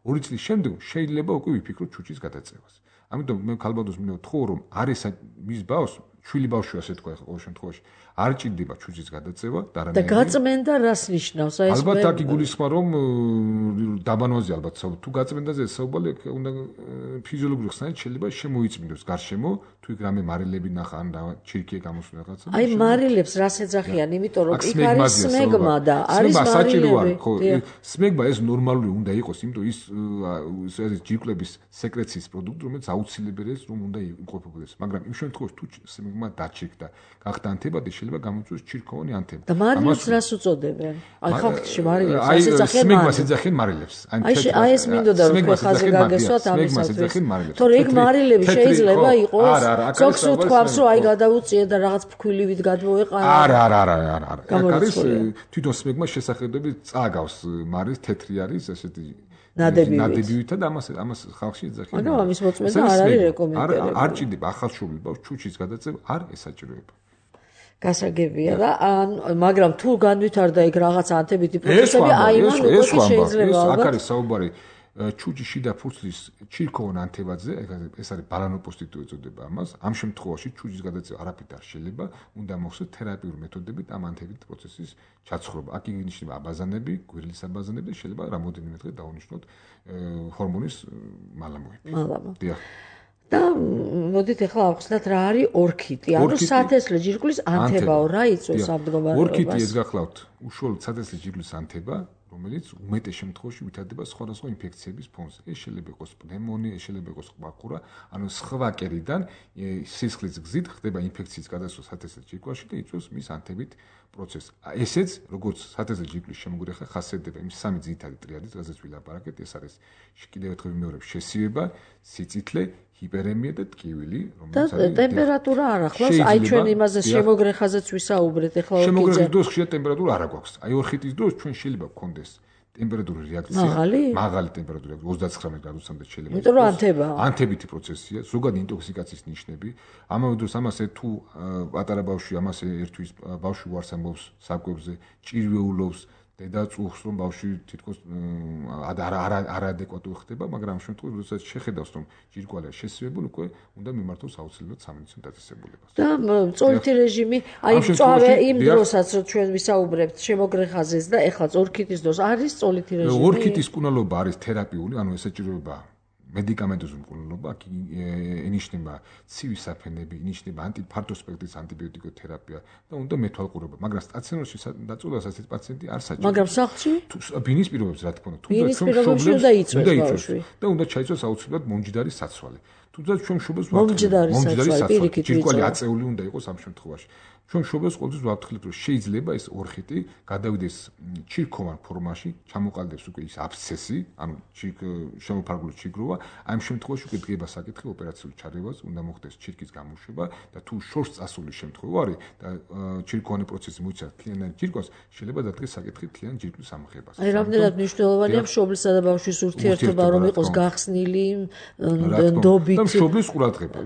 2 წლის შემდეგ შეიძლება უკვე ვიფიქროთ ჩუჩის გადაწევას. ამიტომ მე ქალბატონს მინდა ვთხოვო, რომ არის მის ბავშვს, შვილი ბავშვი ასე თქვა ხო ყოველ შემთხვევაში, არ ჭირდება ჩუჩის გადაწევა და და გაწმენდა რას ნიშნავს? აი ეს ალბათ აქ იგულისხმება, რომ დაბანვაზე ალბათ თუ გაწმენდაზე საუბარი უნდა ფიზიოლოგიური ხსნარით შეიძლება შემოიწმინდოს გარშემო, თუ იქ რამე მარილები ნახა ან ჩირკია გამოსულა რაღაცა. აი მარილებს რას ეძახიან, იმიტომ რომ იქ არის სმეგმა და არის მარილები. ხო, სმეგმა ეს ნორმალური უნდა იყოს, იმიტომ ის ჯირკვლების სეკრეციის პროდუქტი, რომელიც აუცილებელია რომ უნდა იმყოფებოდეს. მაგრამ იმ შემთხვევაში თუ სმეგმა დაჩირკდა, გახდა ანთებადი, შეიძლება გამოიწვიოს ჩირქოვანი ანთება. და მარილებს რას უწოდებენ? აი ხალხში მარილებს რას ეძახიან? სმეგმას ეძახიან მარილებს. აი ეს მინდოდა რომ თქვენ ხაზე გაგესვათ ამისათვის. თორე იქ მარილები შეიძლება იყოს. ზოგს უთქვამს რომ აი გადაუწიე და რაღაც ფქვილივით გადმოეყარა. არა. აქ არის თვითონ სმეგმას შესახედები წააგავს მარის თეთრი არის ესეთი ნადებივით და ამას ხალხში ეძახიან. ანუ ამის მოწმენდა არ არის რეკომენდებული. არ ჭირდება ახალშობილ ბავშვს ჩუჩის გადაწევა არ ესაჭიროება. გასაგებია და მაგრამ თუ განვითარდა იქ რაღაც ანთებითი პროცესები, აი მან უკვე შეიძლება აქ არის საუბარი ჩუჩის შიდა ფურცლის ჩირქოვან ანთებაზე, ეს არის ბალანოპოსტიტი ეწოდება ამას. ამ შემთხვევაში ჩუჩის გადაწევა არაფრით არ შეიძლება, უნდა მოხდეს თერაპიული მეთოდებით ამ ანთებით პროცესის ჩაცხრობა. აქ ინიშნება აბაზანები, გვირილის აბაზანები და შეიძლება რამოდენიმე დღე დავუნიშნოთ ჰორმონის მალამოები. დიახ. და მოდით ახლა ავხსნათ რა არის ორქიტი, ანუ სათესლე ჯირკვლის ანთებაო, რა იწვევს ამ მდგომარეობას? ორქიტი ეს გახლავთ უშუალოდ სათესლე ჯირკვლის ანთება, რომელიც უმეტეს შემთხვევაში ვითარდება სხვადასხვა ინფექციების ფონზე. ეს შეიძლება იყოს პნევმონია, ეს შეიძლება იყოს ყბაყურა, ანუ სხვა კერიდან სისხლის გზით ხდება ინფექციის გადასვლა სათესლე ჯირკვალში და იწვევს მის ანთებით პროცესს. ესეც როგორც სათესლე ჯირკვლის შემოგრეხა ხასიათდება იმ სამი ძირითადი ტრიადის, რაზეც ვილაპარაკეთ, ეს არის კიდევ ერთხელ ვიმეორებ, შესიება, სიწითლე, ჰიპერემია და ტკივილი, რომელიც არის ტემპერატურა არ ახლავს, აი ჩვენ იმაზე შემოგრეხაზეც ვისაუბრეთ, ახლა ორქიდე. შემოგრეხის დროს ხშირად ტემპერატურა არ აქვს. აი ორქიდის დროს ჩვენ შეიძლება გქონდეს ტემპერატურის რეაქცია, მაღალი ტემპერატურა 39 გრადუსამდე შეიძლება. იმიტომ რომ ანთებაა. ანთებითი პროცესია, ზოგადი ინტოქსიკაციის ნიშნები. ამავე დროს ამასე თუ პატარა ბავშვი ამასე ერთვის ბავშვი უარს ამბობს საკვებზე, ჭირვეულობს დედა წუხს რომ ბავშვი თითქოს არაადეკვატური ხდება, მაგრამ ამ შემთხვევაში როდესაც შეხედავს რომ ჯირკვალია შესიებული, უკვე უნდა მიმართოს აუცილებლად სამედიცინო დაწესებულებას. და წოლითი რეჟიმი, აი წავე იმ დროსაც რომ ჩვენ ვისაუბრებთ შემოგრეხაზეს და ეხლა ორქიტის დროს არის წოლითი რეჟიმი. ორქიტის მკურნალობა არის თერაპიული, ანუ ესაჭიროება მედიკამენტოზური მკურნალობა, აქ ინიშნება ცივი საფენები, ინიშნება ფართო სპექტრის ანტიბიოტიკოთერაპია და უნდა მეთვალყურება, მაგრამ სტაციონარში დაწოლას ასეთ პაციენტი არ საჭიროა. მაგრამ სახლში? ბინის პირობებს რა თქმა უნდა, თუნდაც ჩვენ უნდა იწვევს და უნდა ჩაიწვევს აუცილებლად მომჯდარის საცვალე. თუნდაც ჩვენ შობელს მომჯდარის საცვალე, ჯირკვალი აწეული უნდა იყოს ამ შემთხვევაში. ჩვენ შობელს ყოველთვის ვაფრთხილებ, რომ შეიძლება ეს ორქიტი გადავიდეს ჩირქოვან ფორმაში, ჩამოყალიბდეს უკვე ის აბსცესი, ანუ შემოფარგლული ჩიგროვა, ამ შემთხვევაში უკვე დგება საკითხი ოპერაციული ჩარევას, უნდა მოხდეს ჩირკის გამოშვება და თუ შორს წასული შემთხვევა არის და ჩირქოვანი პროცესი მოიცავს მთლიანად ჯირკვას, შეიძლება დადგეს საკითხი მთლიან ჯირკვის ამხებას. აი რამდენად მნიშვნელოვანია მშობლისა და ბავშვის ურთიერთობა, რომ იყოს გახსნილი, ნდობით. და მშობლის ყურადღება.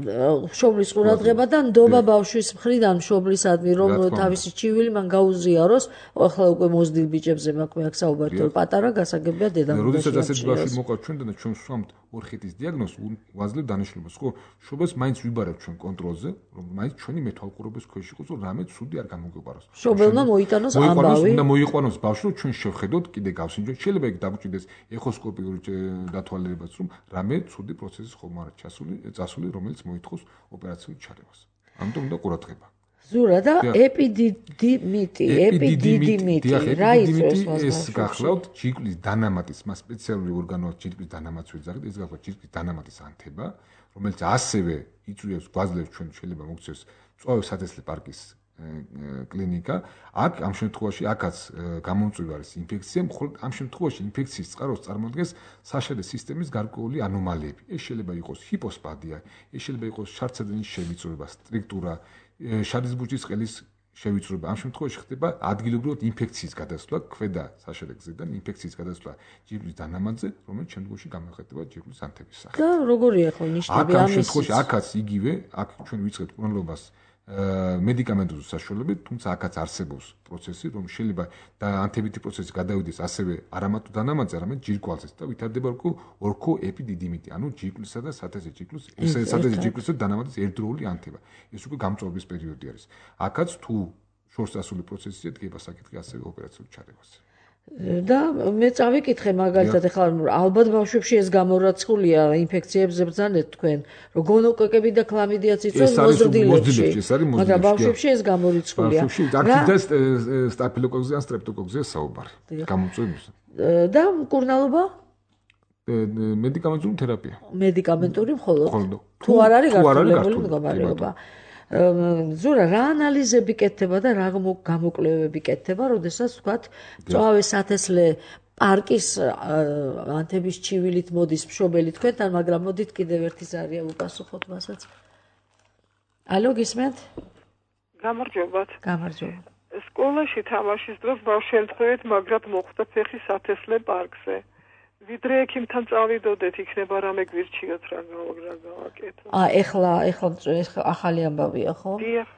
მშობლის ყურადღება და ნდობა ბავშვის მხრიდან მშობლის რომ თავისი ჩივილი მან გაუზიაროს, ახლა უკვე მოზრდილ ბიჭებზე მაქვს აქ საუბარი, რომ პატარა გასაგებია დედამიწაზე. როდესაც ასეთ ბავშვი მოყავს ჩვენთან და ჩვენ ვსვამთ ორქიტის დიაგნოზს, ვაძლევთ დანიშნულებას, ხო, შობელს მაინც ვიბარებთ ჩვენ კონტროლზე, რომ მაინც ჩვენი მეთვალყურების ქვეშ იყოს, რომ რამე ცუდი არ გამოგვეპაროს. შობელმა მოიტანოს ამბავი. უნდა მოიყვანოს ბავშვი, რომ ჩვენ შევხედოთ, კიდე გავსინჯოთ, შეიძლება იქ დაგუჭირდეს ეხოსკოპიური დათვალიერებაც, რომ რამე ცუდი პროცესი ხომ არ წასული, რომელიც მოითხოვს ოპერაციული ჩარევას. ამიტომ უნდა ყურადღება. ზურა და ეპიდიდიმიტი რა იწვევს ეს გახლავთ ჯირკვლის დანამატის, მას სპეციალური ორგანო აქვს ჯირკვლის დანამატს ვიძახით, ეს გახლავთ ჯირკვლის დანამატის ანთება, რომელიც ასევე იწვევს გვაძლევს ჩვენ შეიძლება მოგვცეს წვავე სათესლე პარკის კლინიკა. აქ ამ შემთხვევაში აქაც გამომწვევი არის ინფექცია, მხოლოდ ამ შემთხვევაში ინფექციის წყაროს წარმოადგენს საშერე სისტემის გარკვეული ანომალიები. ეს შეიძლება იყოს ჰიპოსპადია, ეს შეიძლება იყოს შარდსადენის შევიწროება, სტრიქტურა, შარის ბუჩის ყელის შევიწროება. ამ შემთხვევაში ხდება ადგილობრივად ინფექციის გადასვლა ქვედა საშერე გზიდან, ინფექციის გადასვლა ჯირკვლის დანამატზე, რომელიც შემდგომში გამოიხატება ჯირკვლის ანთების სახით. და როგორია ხო ნიშნები ამის? ამ შემთხვევაში აქაც იგივე, აქ ჩვენ ვიწყებთ მკურნალობას მედიკამენტური საშუალებით, თუმცა აქაც არსებობს პროცესი, რომ შეიძლება და ანთებითი პროცესი გადავიდეს ასევე არამატო დანამატზე, არამედ ჯირკვალზეც და ვითარდება ორქო ეპიდიდიმიტი, ანუ ჯირკვლისა და სათესლე ჯირკვლისა და დანამატის ერთდროული ანთება. ეს უკვე გამწვავების პერიოდი არის. აქაც თუ შორს წასული პროცესია დგება საკითხი ასევე ოპერაციულ ჩარევაზე. და მე წავიკითხე მაგალითად ახლა ალბათ ბავშვებში ეს გამორაცხულია ინფექციებზე ბრძანეთ თქვენ რომ გონოკოკები და ქლამიდიაც იწვევს მოზრდილებში მაგრამ ბავშვებში ეს გამორიცხულია და სტაფილოკოკზე ან სტრეპტოკოკზე საუბარი გამოწვევს და მკურნალობა მედიკამენტური თერაპია მედიკამენტური მხოლოდ თუ არ არის გართულებული მდგომარეობა ზურა რა ანალიზები კეთდება და რა გამოკვლევები კეთდება, როდესაც ვთქვათ, მწვავე სათესლე პარკის ანთების ჩივილით მოდის მშობელი თქვენთან, მაგრამ მოდით კიდევ ერთი ზარია უპასუხოთ მასაც. ალო, გისმენთ? გამარჯობათ. გამარჯობა. სკოლაში თამაშის დროს ბავშვი შემთხვევით მაგრად მოხვდა ფეხი სათესლე პარკზე. ვიდრე ექიმთან წავიდოდეთ, იქნება რამე გვირჩიოთ რა გავაკეთო. ეხლა ახალი ამბავია, ხო? დიახ.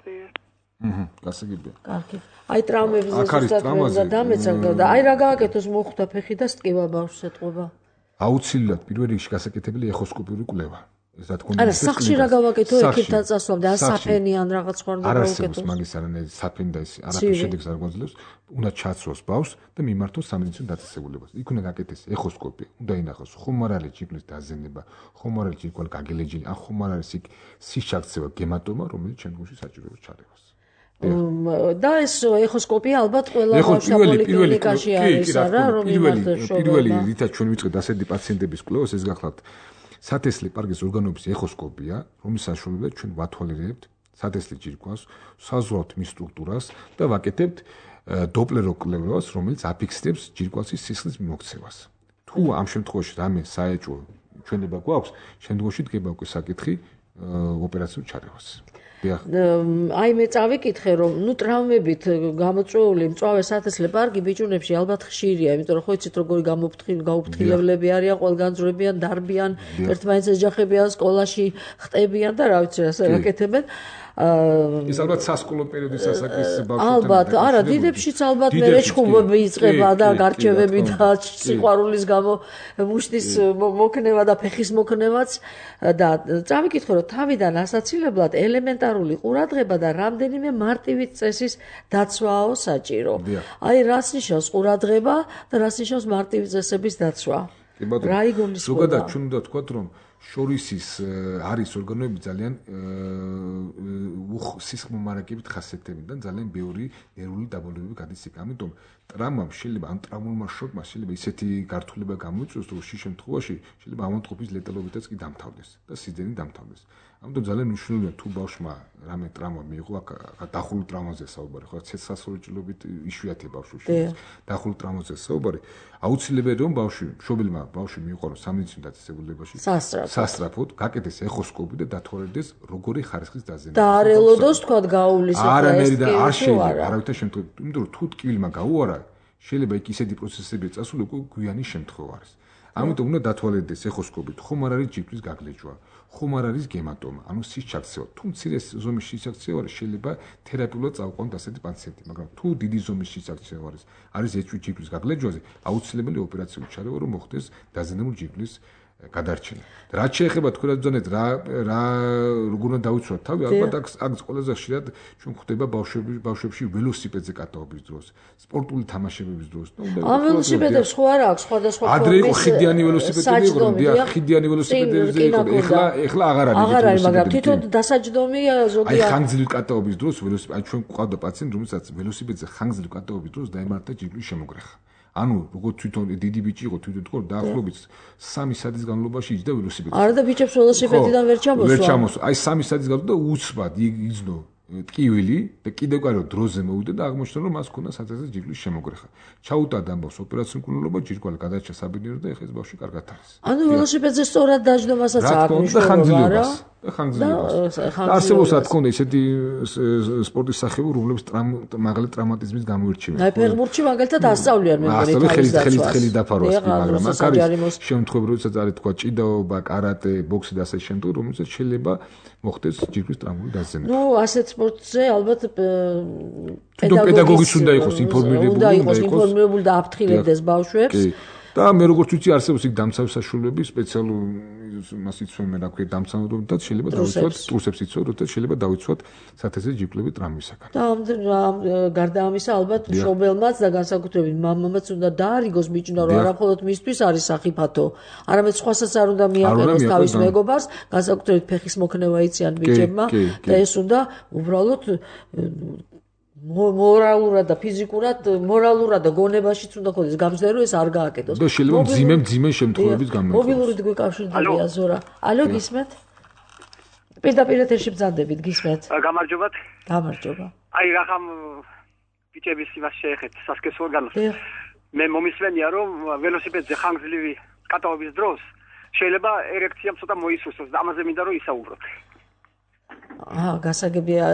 გასაგებია. კარგი. აი ტრაუმების ზუსტად დამეცა და აი რა გააკეთოს მოხვდა ფეხი და სტკივა ბავშვს ეთყობა. აუცილებლად პირველ რიგში გასაკეთებელი ეხოსკოპიური კვლევა. ეს რა თქმა უნდა. არა, სახლში რა გავაკეთო ექიმთან წასვლამდე, ან საფენი ან რაღაც სხვა უნდა გავაკეთოს. არ არსებობს მაგის არანაირი საფენი და ის არაფერ შედეგს არ გვაძლევს. უნდა ჩაცროს ბავშვს და მიმართოს სამედიცინო დაწესებულებას. იქ უნდა გაკეთდეს ეხოსკოპია, უნდა ინახოს ხომ არ არის ჯირკვლის დაზიანება, ხომ არ არის ჯირკვალი გაგელეჯილი, ან ხომ არ არის იქ სიშაქცევა, გემატომა, რომელიც შემდგომში საჭიროებს ჩარევას. და ეს ეხოსკოპია ალბათ ყველა პოლიკლინიკაში არის რა, რომ იმართოს პირველი რითაც ჩვენ ვიწყეთ ასეთი პაციენტების კვლევას, ეს გახლავთ სათესლე პარკის ორგანოების ეხოსკოპია, რომლის საშუალებით ჩვენ ვათვალიერებთ სათესლე ჯირკვალს, საზღვრავთ მის სტრუქტურას და ვაკეთებთ დოპლერო კვლევას, რომელიც აფიქსირებს ჯირკვალის სისხლის მიმოქცევას. თუ ამ შემთხვევაში რამე საეჭვო ჩვენება გვაქვს, შემდგომში დგება უკვე საკითხი ოპერაციულ ჩარევას. აი მე წავიკითხე რომ ტრაუმებით გამოწვეული მწვავე სათესლე პარკი ბიჭუნებში ალბათ ხშირია, იმიტომ რომ ხო იცით როგორი გაუფრთხილებლები არიან, ყველგანძვრებიან, დარბიან, ერთმანეთს ეჯახებიან, სკოლაში ხტებიან და რა ვიცი ასე რაკეთებენ. ის ალბათ სასკოლო პერიოდის ასაკის ბავშვებთან ალბათ, არა, დიდებშიც ალბათ მე რეჩხუბები იწყება და გარჩევები და სიყვარულის გამო მუშტის მოქნება და ფეხის მოქნევაც და წავიკითხე რომ თავიდან ასაცილებლად ელემენტარული ყურადღება და რამდენიმე მარტივი წესის დაცვაო საჭირო. აი რას ნიშნავს ყურადღება და რას ნიშნავს მარტივი წესების დაცვა? რა იგულისხმება? ზოგადად ჩვენ უნდა ვთქვათ რომ შორისის არის ორგანოები ძალიან სისხლმომარაგებით ხასიათდებიან და ძალიან ბევრი ნერვული დაბოლოებები გადის იქ. ამიტომ ტრამვამ შეიძლება ან ტრაუმულმა შოკმა შეიძლება ისეთი გართულება გამოიწვიოს, რომ შე შემთხვევაში შეიძლება ამონტყოფის ლეტალობითაც კი დამთავრდეს და სიძენი დამთავრდეს. ამიტომ ძალიან მნიშვნელოვანია თუ ბავშვმა რამე ტრაუმა მიიღო, აქ დახურულ ტრაუმაზე საუბარი, ხო, ცეცხლსასროლი ჭრილობით იშვიათია ბავშვებში. დახურულ ტრაუმაზე საუბარი. აუცილებელია რომ მშობელმა ბავშვი მიიყვანოს სამედიცინო დაწესებულებაში სასწრაფოდ, გაკეთდეს ეხოსკოპი და დათვალიერდეს როგორი ხარისხის დაზიანება. და არ ელოდოს თქვა გაუვლის არანაირი და არ შეიძლება არავითარ შემთხვევაში, იმიტომ რომ თუ ტკივილმა გაუარა, შეიძლება იქ ისეთი პროცესები წასული უკვე გვიანი შემთხვევა არის. ამიტომ უნდა დათვალიერდეს ეხოსკოპით, ხომ არ არის ჯირკვის გაგლეჯვა, ხომ არ არის გემატომა, ანუ სიშაქცევა. თუ მცირე ზომის სიშაქცევა არის, შეიძლება თერაპიულად წავყვანოთ ასეთი პაციენტი, მაგრამ თუ დიდი ზომის სიშაქცევა არის ეჭვი ჯირკვის გაგლეჯვაზე, აუცილებელი ოპერაციული ჩარევა რომ მოხდეს დაზიანებული ჯირკვის გადარჩენა. რაც შეეხება თქვენაც ბრძანეთ როგორ უნდა დავიცვათ თავი, ალბათ აქ ყველაზე ხშირად ჩვენ ხვდება ბავშვებში ველოსიპედზე კატაობის დროს, სპორტული თამაშებების დროს. ამ ველოსიპედებს ხო არა აქვს სხვადასხვა ფორმის. ადრე იყო ხიდიანი ველოსიპედები, ხიდიანი ველოსიპედებზე იყო. ეხლა აღარ არის. აღარ არის, მაგრამ თვითონ დასაჯდომია ზოგადად. აი ხანგრძლივი კატაობის დროს ველოსიპედი, აი ჩვენ გვყავდა პაციენტი, რომელსაც ველოსიპედზე ხანგრძლივი კატაობის დროს დაემართა ჯირკვლის შემოგრეხა. ანუ როგორც თვითონ დიდი ბიჭი იყო თვითონ თქო დაახლოებით 3 საათის განმავლობაში იჯდა ველოსიპედზე. არა და ბიჭებს ველოსიპედიდან ვერ ჩამოსვა. ვერ ჩამოსვა. აი 3 საათის განმავლობაში და უცბად იძნო ტკივილი და კიდევ კარო დროზე მოვიდა და აღმოჩნდა რომ მას ჰქონდა სათესლე ჯირკვლის შემოგრეხა. ჩაუტარდა ამბავს ოპერაციული მკურნალობა, ჯირკვალი გადაჭრა საბინირო და ეხლა ეს ბავშვი კარგად არის. ანუ ველოსიპედზე სწორად დაждდომასაც აქვს მნიშვნელობა, რა? და ხანგრძლივობას. არსებობს რა თქმა უნდა ისეთი სპორტის სახეები, რომლებიც მაღალი ტრამატიზმის გამოირჩევიან. აი ფეხბურთში მაგალითად ასწავლიან მე მგონი ხელი დაფარვას, მაგრამ აქ არის შემთხვევები, როდესაც არის თქვა ჭიდაობა, კარატე, ბოქსი და ასე შემდეგ, რომელსაც შეიძლება მოხდეს ჯირკვის ტრამვული დაზიანება. ნუ ასეთ სპორტზე ალბათ პედაგოგიც უნდა იყოს ინფორმირებული და აფრთხილებდეს ბავშვებს. და მე როგორც ვიცი არსებობს იქ დამცავი საშუალებები სპეციალურ მას იცვენ რა ქვია დამცავად და შეიძლება დავიცვათ ტურსებს იცვენ როდესაც შეიძლება დავიცვათ სათესლე ჯირკვლები ტრამვისაგან და გარდა ამისა ალბათ მშობელმაც და განსაკუთრებით მამამაც უნდა დაარიგოს ბიჭუნა რომ არამხოლოდ მისთვის არის სახიფათო არამედ სხვასაც არ უნდა მიაყენოს თავის მეგობარს განსაკუთრებით ფეხის მოქნევა იციან ბიჭებმა და ეს უნდა უბრალოდ მორალურად და ფიზიკურად, მორალურად და გონებაშიც უნდა ხოდეს გამძლერო ეს არ გააკეთოს. და შეიძლება მძიმე შემთხვევების გამოიყენოს. მობილური გვიკავშირდებია ზურა. ალო გისმენთ? პირდაპირ ეთერში ბრძანდებით, გისმენთ? გამარჯობათ. გამარჯობა. აი რახამ ბიჭების იმას შეეხეთ სასქესო ორგანოს. მე მომისმენია რომ ველოსიპედზე ხანგრძლივი კატაობის დროს შეიძლება ერექციამ ცოტა მოისურვოს და ამაზე მინდა რომ ისაუბროთ. გასაგებია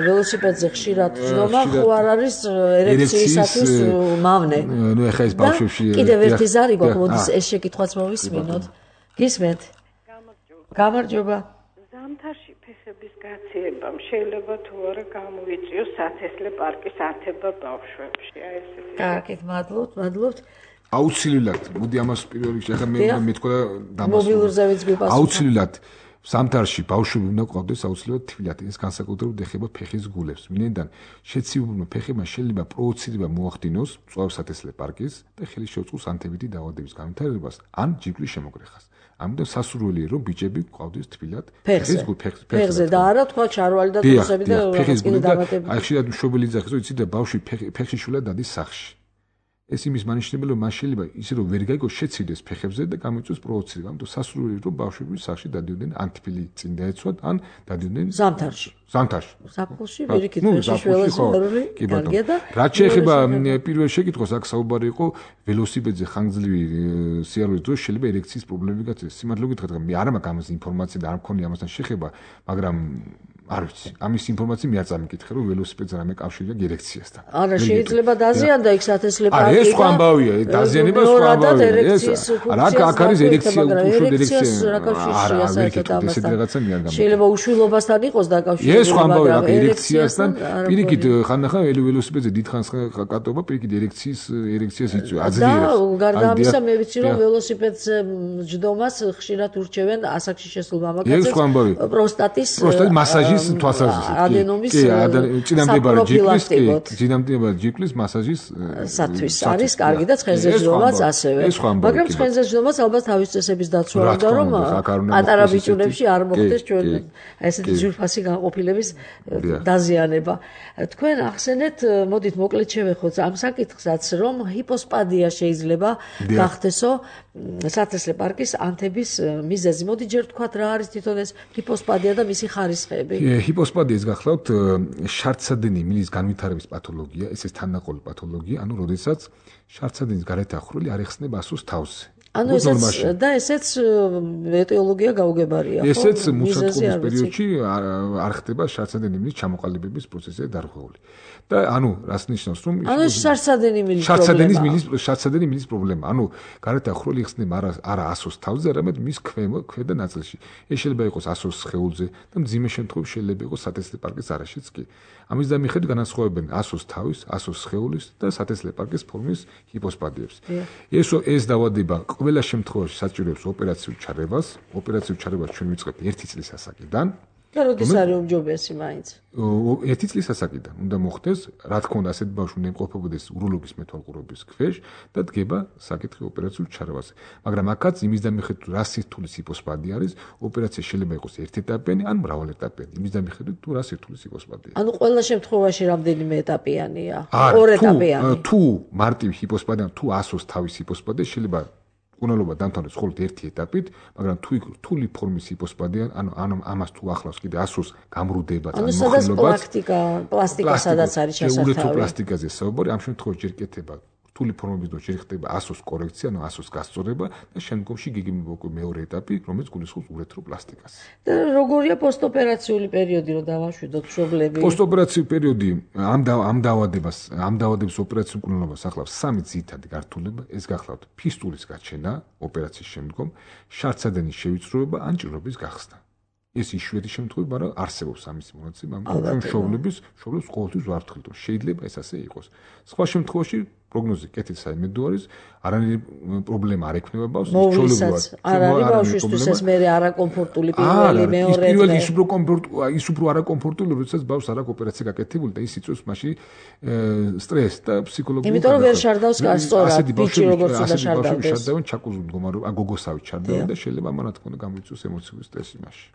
ველოსიპედზე ხშირად ჯდომა ხო არ არის ერექციისათვის მავნე. ნუ ეხა ეს ბავშვებში კიდევ ერთი ზარი გვაქვს, მოდის ეს შეკითხვაც მოვისმინოთ. გისმენთ? გამარჯობა. ზამთარში ფეხების გაცივებამ შეიძლება თუ არა გამოიწვიოს სათესლე პარკის ათება ბავშვებში. აი ესეთი. კარგით, მადლობთ. აუცილებლად, მოდი ამას პირველ რიგში ახლა მე მეთქვა და დამასრულებ. მობილურზე ვიც გვიპასუხა. აუცილებლად ზამთარში ბავშვები უნდა ყავდეს აუცილებლად თბილად. ეს განსაკუთრებით ეხება ფეხის გულებს. მინენდან შეცივებულმა ფეხებმა შეიძლება პროვოცირება მოახდინოს მწვავ სათესლე პარკის და ხელი შეუწყოს ანთებითი დაავადების განვითარებას ან ჯირკვლის შემოგრეხას. ამიტომ სასურველია რომ ბიჭები ყავდეს თბილად ფეხზე და არა თქვა ჩარვალი და ტრუსები და რაღაც კიდე დამატებითი. აი ხშირად მშობელი ძახის რომ იცი და ბავშვი ფეხში შულა დადის სახში. ეს იმის მანიშნებელია რომ მას შეიძლება ისე რომ ვერ გაიგოს შეცივდეს ფეხებზე და გამოიწვიოს პროვოცირება. ამიტომ სასურველია რომ ბავშვები სახში დადიოდნენ ან თბილი წინ დაეცვათ ან დადიოდნენ ზამთარში. ზაფხულში ვერიქით ფეხში შველაზარული კარგია და რაც შეეხება პირველ შეკითხვას აქ საუბარი იყო ველოსიპედზე ხანგრძლივი სიარულის დროს შეიძლება ერექციის პრობლემები გაცეს. სიმართლე გითხრათ მე არ მაქვს ამაზე ინფორმაცია და არ მქონია ამასთან შეხება, მაგრამ არ ვიცი. ამის ინფორმაცია მე არ წამიკითხე რომ ველოსიპედზე რამე კავშირი აქვს ერექციასთან. არა შეიძლება დაზიანდა იქ სათესლე პარკი. არა ეს სხვა ამბავია, დაზიანება სხვა ამბავია. რა აქ არის ერექცია, უშუალოდ ერექცია. არა, ეს რაღაცა მე არ გამიგე. შეიძლება უშვილობასთან იყოს დაკავშირებული. ეს სხვა ამბავია, აქ ერექციასთან პირიქით ხანდახან ველოსიპედზე დიდხანს კატობა პირიქით ერექციას იწვევს. აძლიერებს. და გარდა ამისა მე ვიცი რომ ველოსიპედზე ჯდომას ხშირად ურჩევენ ასაკში შესულ მამაკაცებს პროსტატის მასაჟის თვალსაზრისით. წინამდებარე ჯირკვლის მასაჟის სათვის არის კარგი და ცხენზე ჯდომაც ასევე. მაგრამ ცხენზე ჯდომაც ალბათ თავის წესების დაცვა უნდა რომ პატარა ბიჭუნებში არ მოხდეს ჩვენ ესეთი ძვირფასი განყოფილების დაზიანება. თქვენ ახსენეთ, მოდით მოკლედ შევეხოთ ამ საკითხსაც, რომ ჰიპოსპადია შეიძლება გახდესო სათესლე პარკის ანთების მიზეზი. მოდი ჯერ თქვათ რა არის თვითონ ეს ჰიპოსპადია და მისი ხარისხები. ჰიპოსპადიას გახლავთ შარდსადენი მილის განვითარების პათოლოგია, ეს თანაყოლი პათოლოგია, ანუ როდესაც შარდსადენის გარეთ ახლული არ ეხსნება ასოს თავზე. ანუ ესეც ეტიოლოგია გაუგებარია, ხო? ესეც მუსატყობის პერიოდში არ ხდება შარდსადენი მილის ჩამოყალიბების პროცესზე დარღვეული. და ანუ რას ნიშნავს რომ შარდსადენი მილის პრობლემა. ანუ გარეთ ახლული ეხსნება არა ასოს თავზე, არამედ მის ქვედა ნაწილში. ეს შეიძლება იყოს ასოს სხეულზე და მძიმე შემთხვევებში შეიძლება იყოს სათესლე პარკის არეშიც კი. ამის დამიხედვით განასხვავებენ ასოს თავის, ასოს სხეულის და სათესლე პარკის ფორმის ჰიპოსპადიებს. ეს დაავადება ყველა შემთხვევაში საჭიროებს ოპერაციულ ჩარევას. ოპერაციულ ჩარევას ჩვენ ვიწყებთ 1 წლის ასაკიდან. და როდის არის უმჯობესი მაინც? 1 წლის ასაკიდან უნდა მოხდეს, რა თქმა უნდა, ასეთ ბავშვი უნდა იმყოფებოდეს უროლოგის მეთვალყურების ქვეშ და დგება საკითხი ოპერაციულ ჩარევაზე. მაგრამ აქაც იმის დამიხედვით, რა სირთულის ჰიპოსპადია არის, ოპერაცია შეიძლება იყოს ერთეტაპიანი ან მრავალეტაპიანი. იმის დამიხედვით, რა სირთულის ჰიპოსპადია. ანუ ყველა შემთხვევაში რამდენიმე ეტაპიანია? ორეტაპიანი. თუ მარტივ ჰიპოსპადია, თუ ასოს თავის ჰიპოსპადია შეიძლება უნალობა დამთავრდეს მხოლოდ ერთი ეტაპით, მაგრამ თუ რთული ფორმის ჰიპოსპადია, ანუ ამას თუ ახლავს კიდე ასოს გამრუდება და მოხილობას, პლასტიკა სადაც არის შესაძლებელი. ურეთროპლასტიკაზე საუბარი, ამ შემთხვევაში ჯერ კეთება რთული ფორმების დრო შეიძლება 100-ს კორექცია, ანუ 100-ს გასწორება და შემდგომში გიგიმოკი მეორე ეტაპი, რომელიც გულისხმობს ურეთროპლასტიკას. და როგორია პოსტოპერაციული პერიოდი, რომ დავაშვიდოთ მშობლები? პოსტოპერაციული პერიოდი ამ დაავადების ოპერაციული მკვლელობას ახლავს 3 ძირითადი გართულება. ეს გახლავთ ფისტულის გაჩენა ოპერაციის შემდგომ, შარცადენის შევიწროება ან ჭირობის გახსნა. ეს იშვიათი შემთხვევები, მაგრამ არსებობს ამის მონაცემები, მაგრამ მშობლებს ყოველთვის ვარცხნილ, რომ შეიძლება ეს ასე იყოს. სხვა შემთხვევაში პროგნოზი კეთილსაიმედო არის, არანაირი პრობლემა არ ექნება ბავშვს, ჩვეულებრივად არ არის ბავშვისთვის ეს მერე არაკომფორტული პირველი მეორე დღე. ის უფრო არაკომფორტული, როდესაც ბავშვს არ აქვს ოპერაცია გაკეთებული და ის იწვევს მაშინ სტრესს და ფსიქოლოგიურ. იმიტომ რომ ვერ შარდავს სწორად, ბიჭი როგორც უნდა შარდავდეს. შარდავენ ჩაკუზულ მდგომარეობაში, გოგოსავით შარდავენ და შეიძლება ამან რა თქმა უნდა გამოიწვიოს ემოციური სტრესი მაშინ.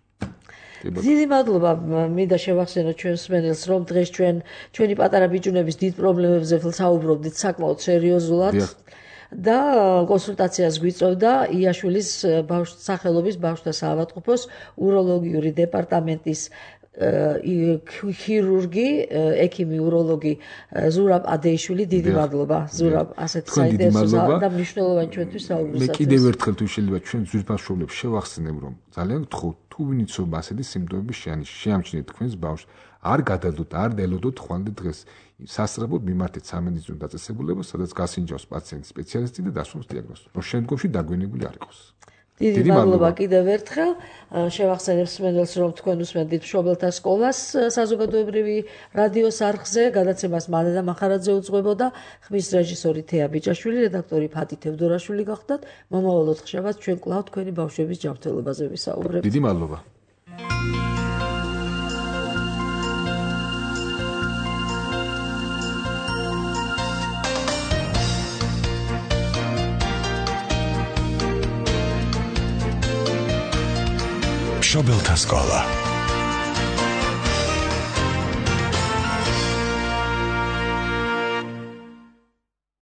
დიდი მადლობა მინდა შევახსენოთ ჩვენს მსმენელს, რომ დღეს ჩვენი პატარა ბიჭუნების დიდ პრობლემებზე ვსაუბრობდით საკმაოდ სერიოზულად და კონსულტაციას გვიწევდა იაშვილის სახელობის ბავშვთა საავადმყოფოს უროლოგიური დეპარტამენტის ქირურგი, ექიმი უროლოგი ზურაბ ადეიშვილი. დიდი მადლობა ზურაბ, ასეთი საინტერესო და მნიშვნელოვანი ჩვენთვის საუბრისათვის. მე კიდევ ერთხელ თუ შეიძლება ჩვენ ძვირფასშობლებს შევახსენებ, რომ ძალიან გთხოვთ, თუ ვინიცობა ასეთი სიმპტომები შეამჩნიეთ თქვენს ბავშვს, არ გადადოთ, არ დელოდოთ ხვალე დღეს. სასწრაფოდ მიმართეთ სამედიცინო დაწესებულებას, სადაც გასინჯავს პაციენტის სპეციალისტი და დასვამს დიაგნოზს, რომ შემდგომში დაგვიანებული არ იყოს. დიდი მადლობა კიდევ ერთხელ. შევახსენებ მსმენელს, რომ თქვენ უსმენთ მშობელთა სკოლას საზოგადოებრივი რადიოს არხზე, გადაცემას მალე და მახარაძე უძღვებოდა, ხმის რეჟისორი თეა ბიჭაშვილი, რედაქტორი ფათი თევდორაშვილი გახდათ. მომავალ 4 შაბათს ჩვენ კვლავ თქვენი ბავშვების ჯანმრთელობაზე ვისაუბრებთ. დიდი მადლობა. მშობელთა სკოლა